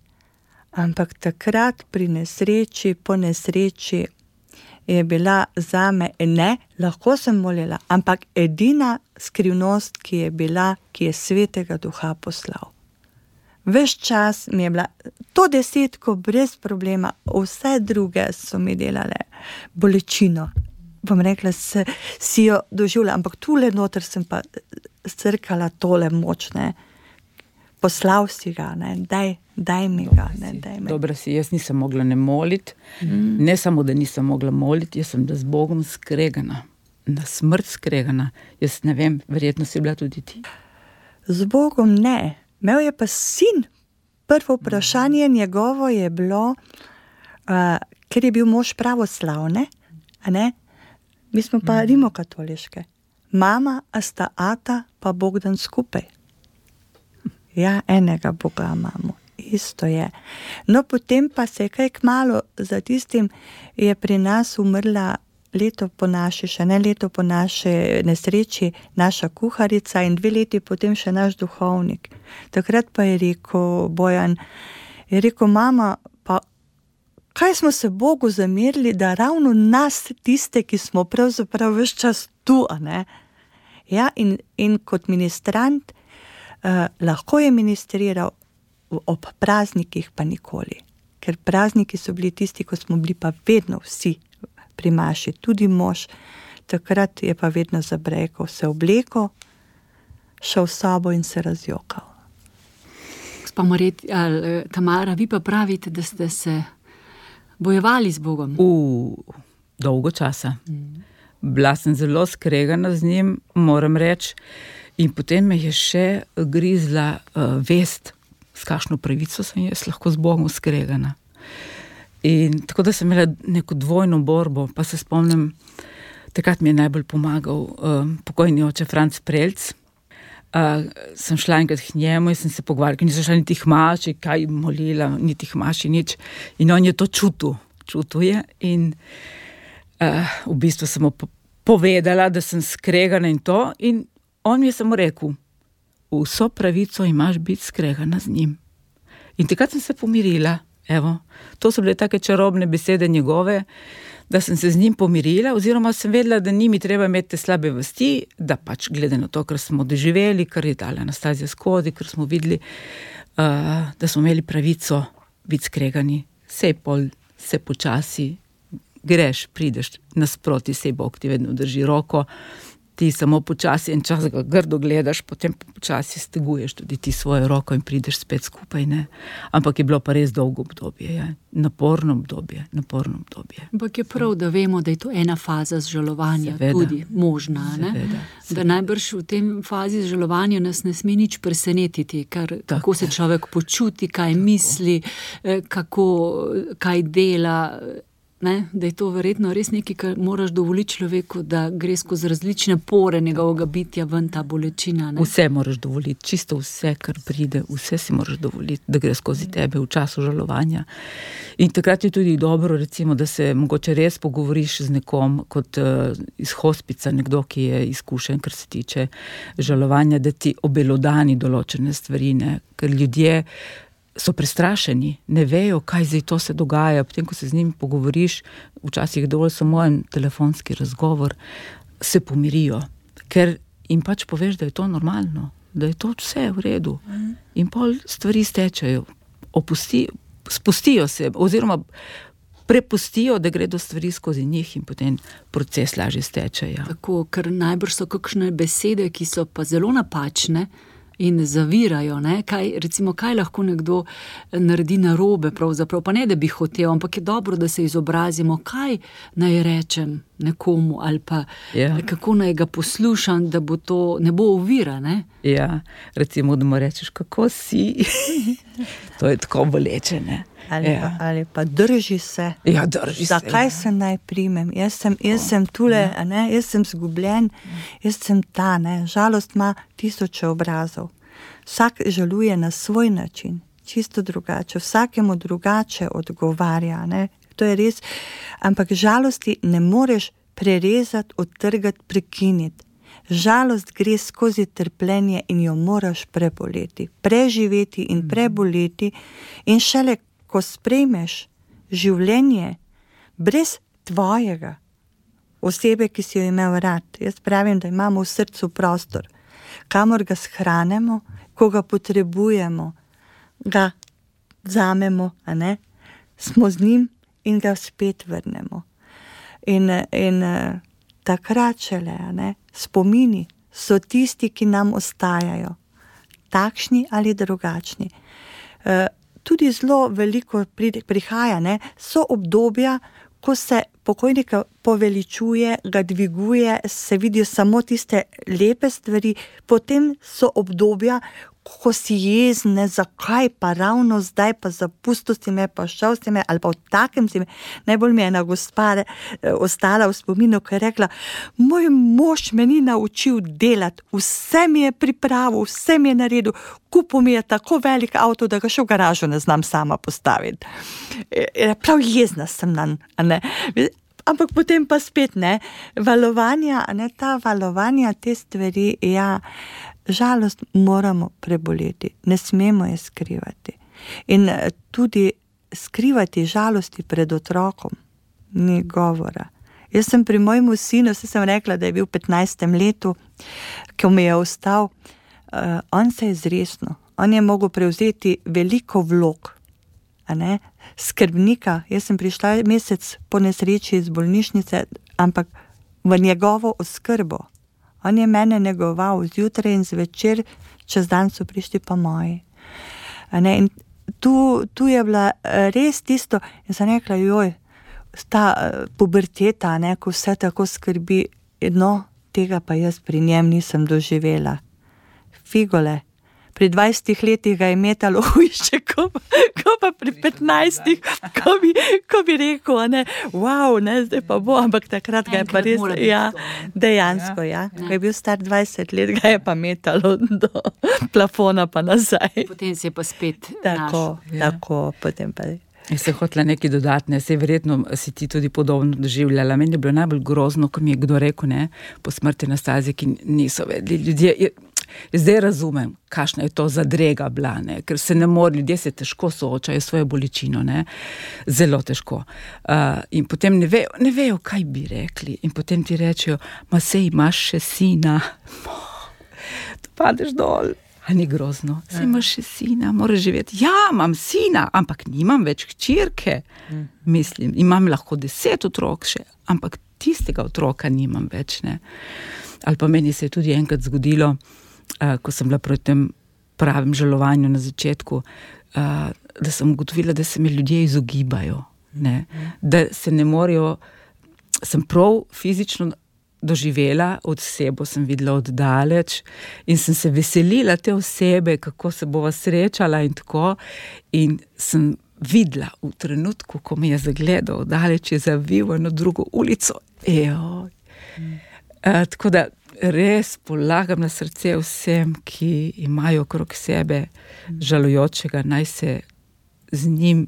Ampak takrat pri nesreči, po nesreči je bila zame, ne, lahko sem molila, ampak edina skrivnost, ki je bila, ki je Svetega Duha poslal. Ves čas mi je bila to 10 brez problema, vse druge so mi delale bolečino. Bom rekla, si jo doživljala, ampak tule noter sem pa crkala tole močne. Poslal si ga, ne, daj mi ga. Dobro si, jaz nisem mogla ne moliti, ne samo, da nisem mogla moliti, jaz sem da z Bogom skregana, na smrt skregana. Jaz ne vem, verjetno si bila tudi ti. Z Bogom ne, imel je pa sin. Prvo vprašanje njegovo je bilo, ker je bil mož pravoslavne, a ne, mi smo pa rimokatoliške. Mama, a sta ata pa Bogdan skupaj. Ja, enega Boga imamo, isto je. No, potem pa se je kaj kmalu za tistim, je pri nas umrla leto po naše nesreči, naša kuharica in 2 leti potem še naš duhovnik. Takrat pa je rekel Bojan, mama, pa kaj smo se Bogu zamerili, da ravno nas, tiste, ki smo pravzaprav ves čas tu, a ne? Ja, in kot ministrant, lahko je ministriral, ob praznikih pa nikoli. Ker prazniki so bili tisti, ko smo bili pa vedno vsi pri maši, tudi mož. Takrat je pa vedno zabrekal, se obleko, šel v sobo in se razjokal. Gospa Tamara, vi pa pravite, da ste se bojevali z Bogom. Dolgo časa. Bila sem zelo skregana z njim, moram reči. In potem me je še grizla vest, s kakšno pravico sem jaz lahko z Bogom skregana. In tako da sem imela neko dvojno borbo, pa se spomnim, takrat mi je najbolj pomagal pokojni oče Franc Prelc. Sem šla enkrat k njemu in sem se pogovarjala, ker nisem šla niti k maši, kaj molila, niti k maši, nič. In on je to čutil je. In v bistvu sem mu povedala, da sem skregana in to. In on mi je samo rekel, vso pravico imaš biti skregana z njim. In takrat sem se pomirila. Evo, to so bile take čarobne besede njegove, da sem se z njim pomirila, oziroma sem vedela, da ni mi treba imeti te slabe vesti, da pač glede na to, kar smo doživeli, kar je dala Anastazija skozi, ker smo videli, da smo imeli pravico biti skregani. Sej pol, se počasi greš, prideš nasproti, sej Bog ti vedno drži roko, ti samo počasi en čas ga grdo gledaš, potem počasi steguješ tudi ti svojo roko in prideš spet skupaj, ne. Ampak je bilo pa res dolgo obdobje, ja. Naporno obdobje. Ampak je prav, da vemo, da je to ena faza zžalovanja, tudi možna, ne. Da najbrž v tem fazi zžalovanja nas ne sme nič presenetiti, kako se človek počuti, kaj misli, kaj dela, ne, da je to verjetno res nekaj, kar moraš dovoliti človeku, da gre skozi različne pore njegovega bitja ven ta bolečina. Ne? Vse moraš dovoliti, čisto vse, kar pride, vse si moraš dovoliti, da gre skozi tebe v času žalovanja. In takrat je tudi dobro, recimo, da se mogoče res pogovoriš z nekom, kot iz hospica, nekdo, ki je izkušen, kar se tiče žalovanja, da ti obelodani določene stvari, ne, ker ljudje so prestrašeni, ne vejo, kaj zdaj to se dogaja, potem, ko se z njimi pogovoriš, včasih dovolj samo en telefonski razgovor, se pomirijo, ker jim pač poveš, da je to normalno, da je to vse v redu. In pol stvari stečajo, spustijo se, oziroma prepustijo, da gredo stvari skozi njih in potem proces lažje stečajo. Tako, ker najbrž so kakšne besede, ki so pa zelo napačne, in zavirajo, ne, kaj lahko nekdo naredi narobe pravzaprav, pa ne, da bi hotel, ampak je dobro, da se izobrazimo, kaj naj rečem nekomu, ali pa kako naj ga poslušam, da bo to, ne bo ovira, ne. Ja, recimo, da mu rečeš, kako si, to je tako boleče, ne. Ali pa drži se. Ja, drži se. Zakaj se naj primem? Jaz sem tule, ne? Jaz sem zgubljen, jaz sem ta, ne? Žalost ima 1000 obrazov. Vsak žaluje na svoj način, čisto drugače, vsakemu drugače odgovarja, ne? To je res, ampak žalosti ne moreš prerezati, odtrgati, prekiniti. Žalost gre skozi trpljenje in jo moraš preboleti, preživeti in preboleti in šele ko sprejmeš življenje brez tvojega, osebe, ki si jo imel rad. Jaz pravim, da imamo v srcu prostor, kamor ga shranemo, ko ga potrebujemo, ga vzamemo, a ne, smo z njim in ga spet vrnemo. In takrat šele, a ne, spomini so tisti, ki nam ostajajo, takšni ali drugačni. Tudi zelo veliko prihaja, ne, so obdobja, ko se pokojnika poveličuje, ga dviguje, se vidijo samo tiste lepe stvari, potem so obdobja, ko si jezne, zakaj pa ravno zdaj pa zapustil si me, pa šel si me, ali pa v takem si me. Najbolj mi je ena gospa ostala v spominu, ki je rekla, moj mož me ni naučil delati, vse mi je pripravil, vse mi je naredil, kupil mi je tako velik avto, da ga še v garažu ne znam sama postaviti. Prav jezna sem nanj, a ne. Ampak potem pa spet, ne, valovanja, ne, ta valovanja, te stvari, ja, žalost moramo preboleti, ne smemo je skrivati. In tudi skrivati žalosti pred otrokom ni govora. Jaz sem pri mojemu sinu, sem rekla, da je bil v 15. letu, ko mi je ostal, on se je zresno, on je mogel prevzeti veliko vlog, a ne, skrbnika. Jaz sem prišla mesec po nesreči iz bolnišnice, ampak v njegovo oskrbo. On je mene negoval zjutraj in zvečer, čez dan so prišli pa moji. In tu je bila res tisto, in sem rekla, joj, ta puberteta, ne, ko vse tako skrbi, no, tega pa jaz pri njem nisem doživela. Figole, pri 20 letih ga je metalo hujše, ko pa pri 15, ko bi rekel, ne, wow, ne, zdaj pa bo, ampak takrat ga je pa res, ja, dejansko, ja. Ko je bil star 20 let, ga je pa metalo do plafona pa nazaj. Potem se je pa spet našel. Tako, potem pa. Jaz se hotela nekaj dodatne, se verjetno si ti tudi podobno doživljala. Meni je bilo najbolj grozno, ko mi je kdo rekel, ne, po smrti na stazi, ki niso vedeli ljudje. Zdaj razumem, kakšna je to zadrega bila, ne, ker se ne more, ljudje se težko soočajo s svojo bolečino, ne, zelo težko. In potem ne vejo, kaj bi rekli. In potem ti rečejo, ma sej imaš še sina. Tu padeš dol. A ni grozno? Sej imaš še sina, moraš živeti. Ja, imam sina, ampak nimam več hčerke. Mislim, imam lahko 10 otrok še, ampak tistega otroka nimam več, ne. Ali pa meni se je tudi enkrat zgodilo, ko sem bila proti tem pravim žalovanju na začetku, da sem ugotovila, da se mi ljudje izogibajo, ne. Da se ne morejo, sem prav fizično doživela, od sebe sem videla oddaleč in sem se veselila te osebe, kako se bova srečala in tako, in sem videla v trenutku, ko me je zagledal oddaleč, je zavil eno drugo ulico. Tako da res polagam na srce vsem, ki imajo okrog sebe žalujočega, naj se z njim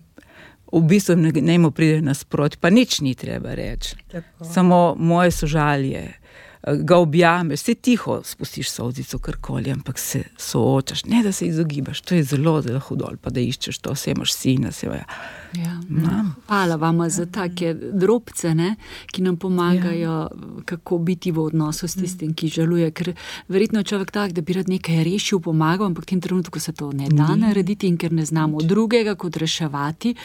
v bistvu ne mu pride nasproti, pa nič ni treba reči. Tako. Samo moje sožalje, ga objameš, se tiho spustiš solzico, karkoli, ampak se soočaš, ne da se izogibaš, to je zelo, zelo hudo, pa da iščeš to, vse imaš sina, se vaja. Ja. Hvala vama za take drobce, ne, ki nam pomagajo, kako biti v odnosu s tistim, ki žaluje, ker verjetno je človek tak, da bi rad nekaj rešil, pomagal, ampak v tem trenutku se to ne da narediti in ker ne znamo drugega kot reševati,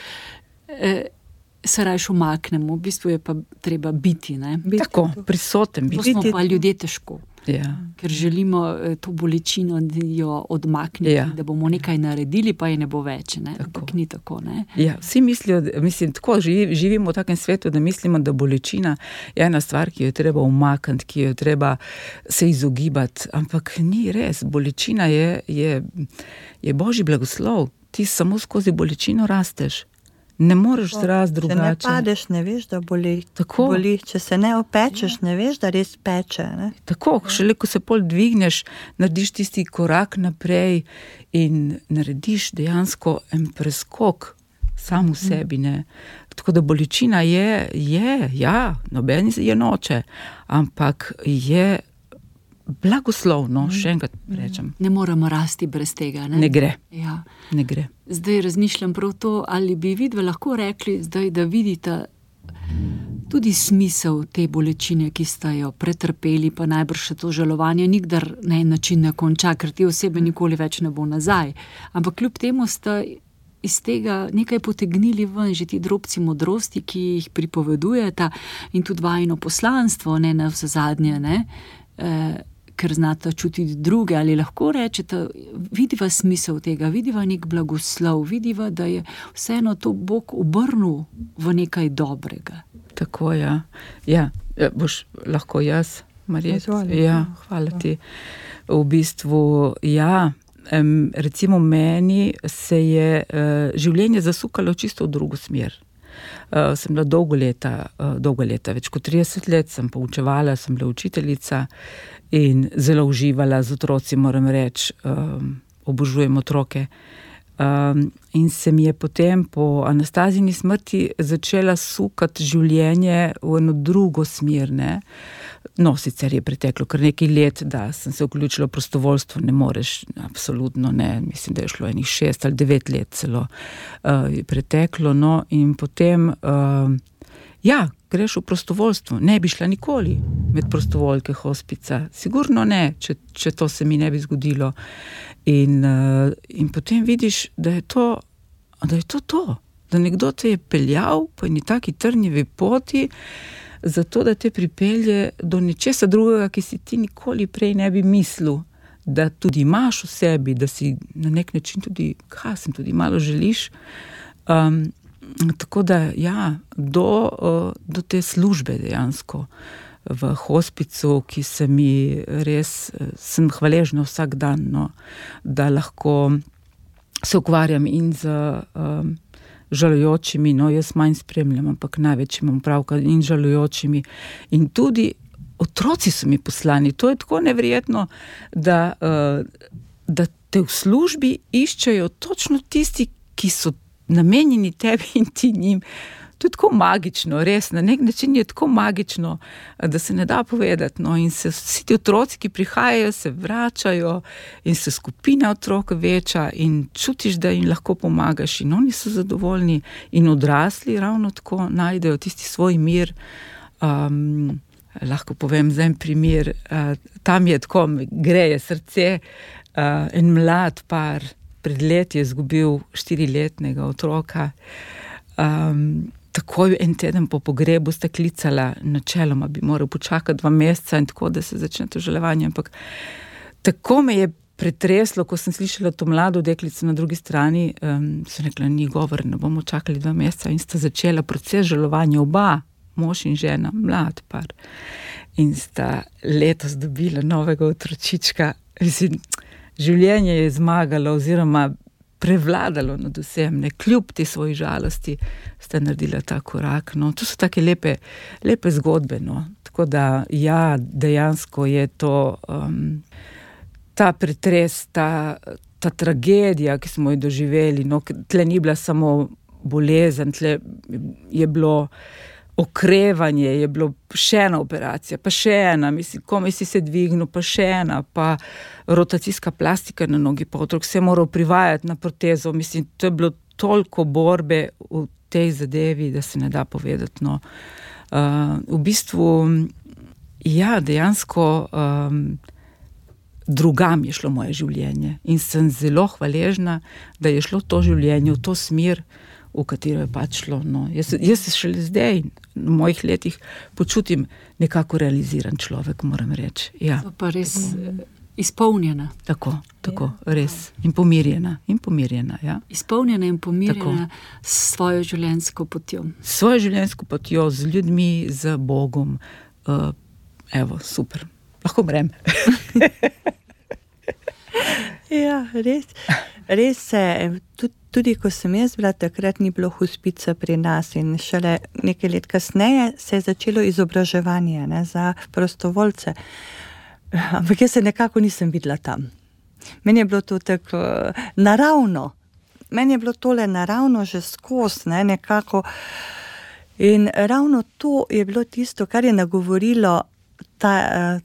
se rajš umaknemo, v bistvu je pa treba biti, ne. Tako, prisoten biti. To smo pa ljudje težko. Ja. Ker želimo to bolečino jo odmakniti, da bomo nekaj naredili, pa je ne bo več, ne. Ampak ni tako, ne. Ja, vsi mislijo, tako živimo v takem svetu, da mislimo, da bolečina je ena stvar, ki jo je treba umakniti, ki jo je treba se izogibati, ampak ni res. Bolečina je Božji blagoslov. Ti samo skozi bolečino rasteš. Ne moreš zrast drugače. Če ne padeš, ne veš, da boli. Če se ne opečeš, ne veš, da res peče. Ne? Tako, šele ko se pol dvigneš, narediš tisti korak naprej in narediš dejansko en preskok sam v sebi. Ne? Tako da bolečina je, noben je noče, ampak je blagoslovno, še enkrat rečem. Ne moremo rasti brez tega. Ne gre. Ja. Ne gre. Zdaj razmišljam prav to, ali bi vidva lahko rekli zdaj, da vidita tudi smisel te bolečine, ki sta jo pretrpeli, pa najbrž še to žalovanje nikdar na en način ne konča, ker te osebe nikoli več ne bo nazaj. Ampak kljub temu sta iz tega nekaj potegnili ven, že ti drobci modrosti, ki jih pripovedujeta in tudi vajino poslanstvo, ne na vse zadnje, ne, ker znata čutiti druge, ali lahko rečete, vidiva smisel tega, vidiva nek blagoslov, vidiva, da je vseeno to Bog obrnil v nekaj dobrega. Tako, ja. Ja, boš lahko jaz, Marija? Ja, hvala ti. V bistvu, ja, recimo meni se je življenje zasukalo čisto v drugo smer. Sem bila dolgo leta, več kot 30 let sem poučevala, sem bila učiteljica in zelo uživala z otroci, moram reči, obožujem otroke. In se mi je potem po Anastazijini smrti začela sukati življenje v eno drugo smer, ne. No, sicer je preteklo kar nekaj let, da sem se vključila v prostovoljstvo, ne moreš, absolutno ne, mislim, da je šlo enih 6 ali 9 let celo je preteklo, no, in potem, ja, greš v prostovoljstvo, ne bi šla nikoli med prostovoljke hospica, sigurno ne, če to se mi ne bi zgodilo. In potem vidiš, da je to, da nekdo te je peljal po eni taki trnjevi poti, zato da te pripelje do nečesa drugega, ki si ti nikoli prej ne bi mislil, da tudi imaš v sebi, da si na nek način tudi, tudi malo želiš. Tako da, ja, do te službe dejansko v hospicu, ki se mi res, sem hvaležna vsak dan, no, da lahko se ukvarjam in z žalujočimi, no, jaz manj spremljam, ampak največ imam pravka in žalujočimi. In tudi otroci so mi poslani. To je tako neverjetno, da te v službi iščejo točno tisti, ki so namenjeni tebi in ti njim. To je tako magično, res, na nek način je tako magično, da se ne da povedati, no, in se vsi ti otroci, ki prihajajo, se vračajo in se skupina otrok veča in čutiš, da jim lahko pomagaš in oni so zadovoljni in odrasli ravno tako najdejo tisti svoj mir. Lahko povem za en primer, tam je tako, greje srce, en mlad par pred leti je izgubil 4-letnega otroka. Takoj en teden po pogrebu sta klicala, načeloma bi moral počakati 2 meseca in tako, da se začne to žalovanje, ampak tako me je pretreslo, ko sem slišala to mlado deklico na drugi strani, sem rekla, ni govor, ne bomo čakali 2 meseca in sta začela proces žalovanja, oba, mož in žena, mlad par. In sta letos dobila novega otročička. Življenje je zmagalo oziroma prevladalo nad vsem, ne, kljub te svoji žalosti sta naredila ta korak, no, to so take lepe zgodbe, no, tako da, ja, dejansko je to ta pretres, ta tragedija, ki smo jo doživeli, no, tle ni bila samo bolezen, tle je bilo okrevanje, je bilo še ena operacija, pa še ena, mislim, komaj si se dvignil, pa še ena, pa rotacijska plastika na nogi, pa otrok se je moral privajati na protezo, mislim, to je bilo toliko borbe v tej zadevi, da se ne da povedati, no. V bistvu, ja, dejansko drugam je šlo moje življenje in sem zelo hvaležna, da je šlo to življenje v to smer, v katero je pač šlo, no. Jaz se šele zdaj, v mojih letih, počutim nekako realiziran človek, moram reči, ja. Pa res izpolnjena. Tako, res. In pomirjena, ja. Izpolnjena in pomirjena s svojo življenjsko potjo. S svojo življenjsko potjo, z ljudmi, z Bogom. Evo, super. Lahko brem. Ja, res se, tudi ko sem jaz bila, takrat ni bilo hospica pri nas in šele nekaj let kasneje se je začelo izobraževanje, ne, za prostovoljce. Ampak jaz se nekako nisem videla tam. Meni je bilo to tako naravno. Meni je bilo tole naravno že skozi, ne, nekako. In ravno to je bilo tisto, kar je nagovorilo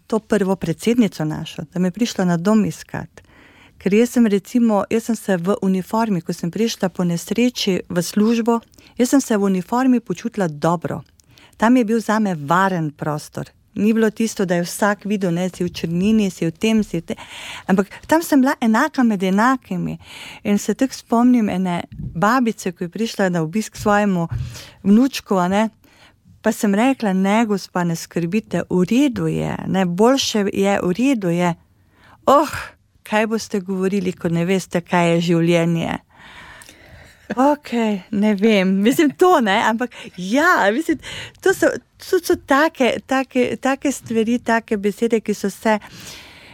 to prvo predsednico našo, da me je prišla na dom iskat. Ker jaz sem se v uniformi, ko sem prišla po nesreči v službo, jaz sem se v uniformi počutila dobro. Tam je bil zame varen prostor. Ni bilo tisto, da je vsak videl, ne, si v črnini, si v tem, si v tem. Ampak tam sem bila enaka med enakimi. In se tako spomnim ene babice, ko je prišla na obisk svojemu vnučku, ne, pa sem rekla, ne, gospa, ne skrbite, v redu je, ne, boljše je, v redu je. Kaj boste govorili, ko ne veste, kaj je življenje? Ok, ne vem, mislim to, ne, ampak ja, mislim, to so take stvari, take besede, ki so se,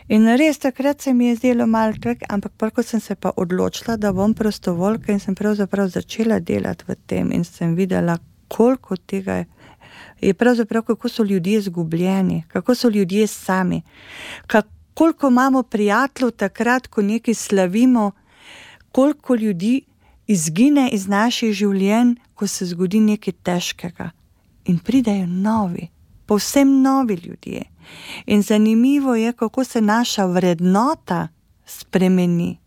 in res takrat se mi je zdelo malo tak, ampak ko sem se pa odločila, da bom prostovoljka in sem pravzaprav začela delati v tem in sem videla, koliko tega je pravzaprav, kako so ljudje izgubljeni, kako so ljudje sami, koliko imamo prijateljev takrat, ko nekaj slavimo, koliko ljudi izgine iz naših življenj, ko se zgodi nekaj težkega. In pridejo novi, povsem novi ljudje. In zanimivo je, kako se naša vrednota spremeni.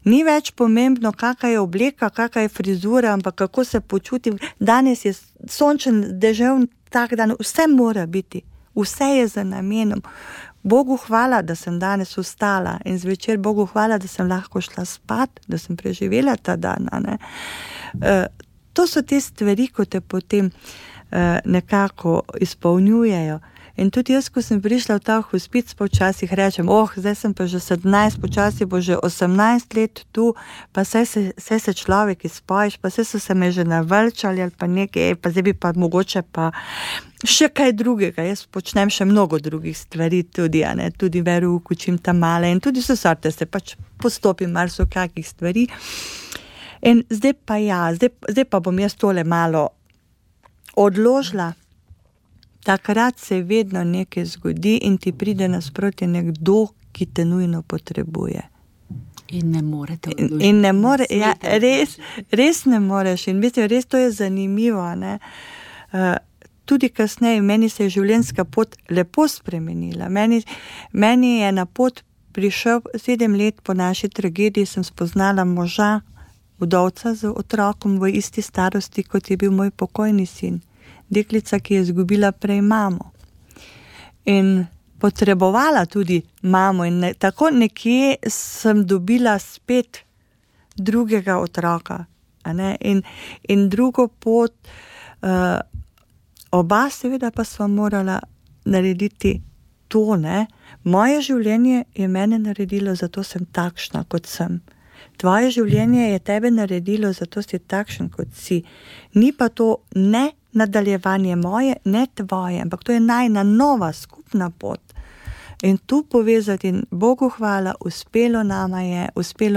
Ni več pomembno, kakva je obleka, kakva je frizura, ampak kako se počutim. Danes je sončen, deževn tak dan, vse mora biti, vse je za namenom. Bogu hvala, da sem danes vstala in zvečer Bogu hvala, da sem lahko šla spat, da sem preživela ta dan. To so te stvari, ko te potem nekako izpolnjujejo. In tudi jaz, ko sem prišla v ta hospic, počasih rečem, zdaj sem pa že 17, počasi bo že 18 let tu, pa saj se človek izpojiš, pa saj so se me že navrčali ali pa nekaj, pa zdaj bi pa mogoče pa še kaj drugega. Jaz počnem še mnogo drugih stvari tudi, tudi veruk, učim tam male in tudi so sorte, se pač postopim mar so kakih stvari. In zdaj pa bom jaz tole malo odložila. Takrat se vedno nekaj zgodi in ti pride nasproti nekdo, ki te nujno potrebuje. In ne morete odložiti. In ne more, ja, res ne moreš. In mislim, res to je zanimivo. Tudi kasneje, meni se je življenjska pot lepo spremenila. Meni je na pot prišel 7 let po naši tragediji, sem spoznala moža, vdovca z otrokom v isti starosti, kot je bil moj pokojni sin. Deklica, ki je izgubila prej mamo. In potrebovala tudi mamo in tako nekje sem dobila spet drugega otroka. In drugo pot, oba seveda pa sva morala narediti to, Moje življenje je mene naredilo, zato sem takšna, kot sem. Tvoje življenje je tebe naredilo, zato si takšen, kot si. Ni pa to ne nadaljevanje moje, ne tvoje, ampak to je najna nova skupna pot. In tu povezati, Bogu hvala, uspelo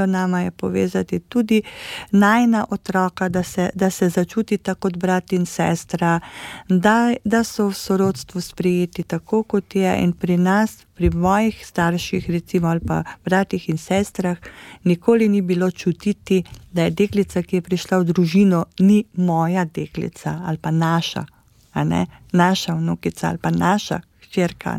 nama je povezati tudi najna otroka, da se začutita kot brat in sestra, da so v sorodstvu sprejeti tako, kot je. In pri nas, pri mojih starših, recimo, ali pa bratih in sestrah, nikoli ni bilo čutiti, da je deklica, ki je prišla v družino, ni moja deklica ali pa naša, naša vnukica ali pa naša hčerka,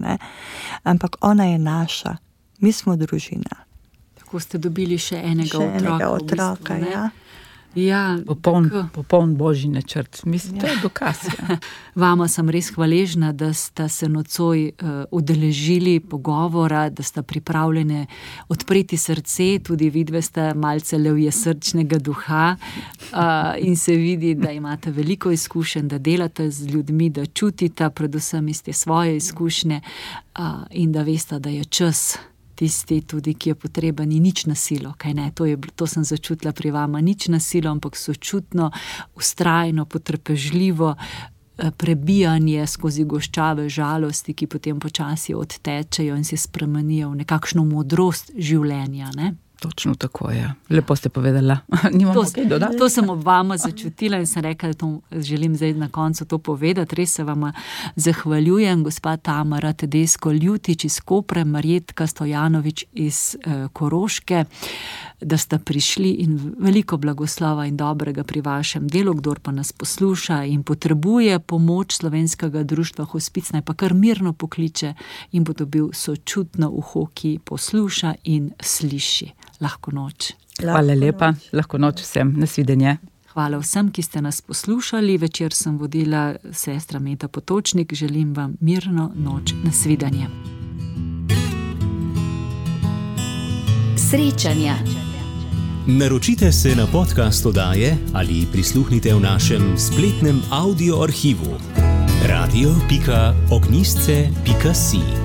ampak ona je naša, mi smo družina. Tako ste dobili še enega otroka. V bistvu, ja. Ja, popoln božji načrt. Mislim, to je dokaz. Ja. Vama sem res hvaležna, da sta se nocoj udeležili pogovora, da sta pripravljene odpreti srce, tudi vidve sta malce levje srčnega duha in se vidi, da imate veliko izkušenj, da delate z ljudmi, da čutite predvsem iz te svoje izkušnje in da veste, da je čas tisti tudi, ki je potreben, ni nič na silo, kaj ne, to sem začutila pri vama, nič na silo, ampak sočutno, vztrajno, potrpežljivo prebijanje skozi goščave žalosti, ki potem počasi odtečejo in se spremenijo v nekakšno modrost življenja, ne? Točno tako, ja. Lepo ste povedala. Nimamo kaj dodati. To sem ob vama začutila in sem rekla, da to želim zdaj na koncu to povedati. Res se vama zahvaljujem, gospa Tamara Tedesco Ljutič iz Kopra, Marjetka Stojanovič iz Koroške. da ste prišli in veliko blagoslova in dobrega pri vašem delu. Kdor pa nas posluša in potrebuje pomoč Slovenskega društva Hospic, naj pa kar mirno pokliče in bo dobil sočutno uho, ki posluša in sliši. Lahko noč. Hvala lepa, lahko noč vsem, nasvidenje. Hvala vsem, ki ste nas poslušali. Večer sem vodila sestra Meta Potočnik. Želim vam mirno noč. Nasvidenje. Srečanja. Naročite se na podcast oddaje ali prisluhnite v našem spletnem audio arhivu radio.ognjisce.si.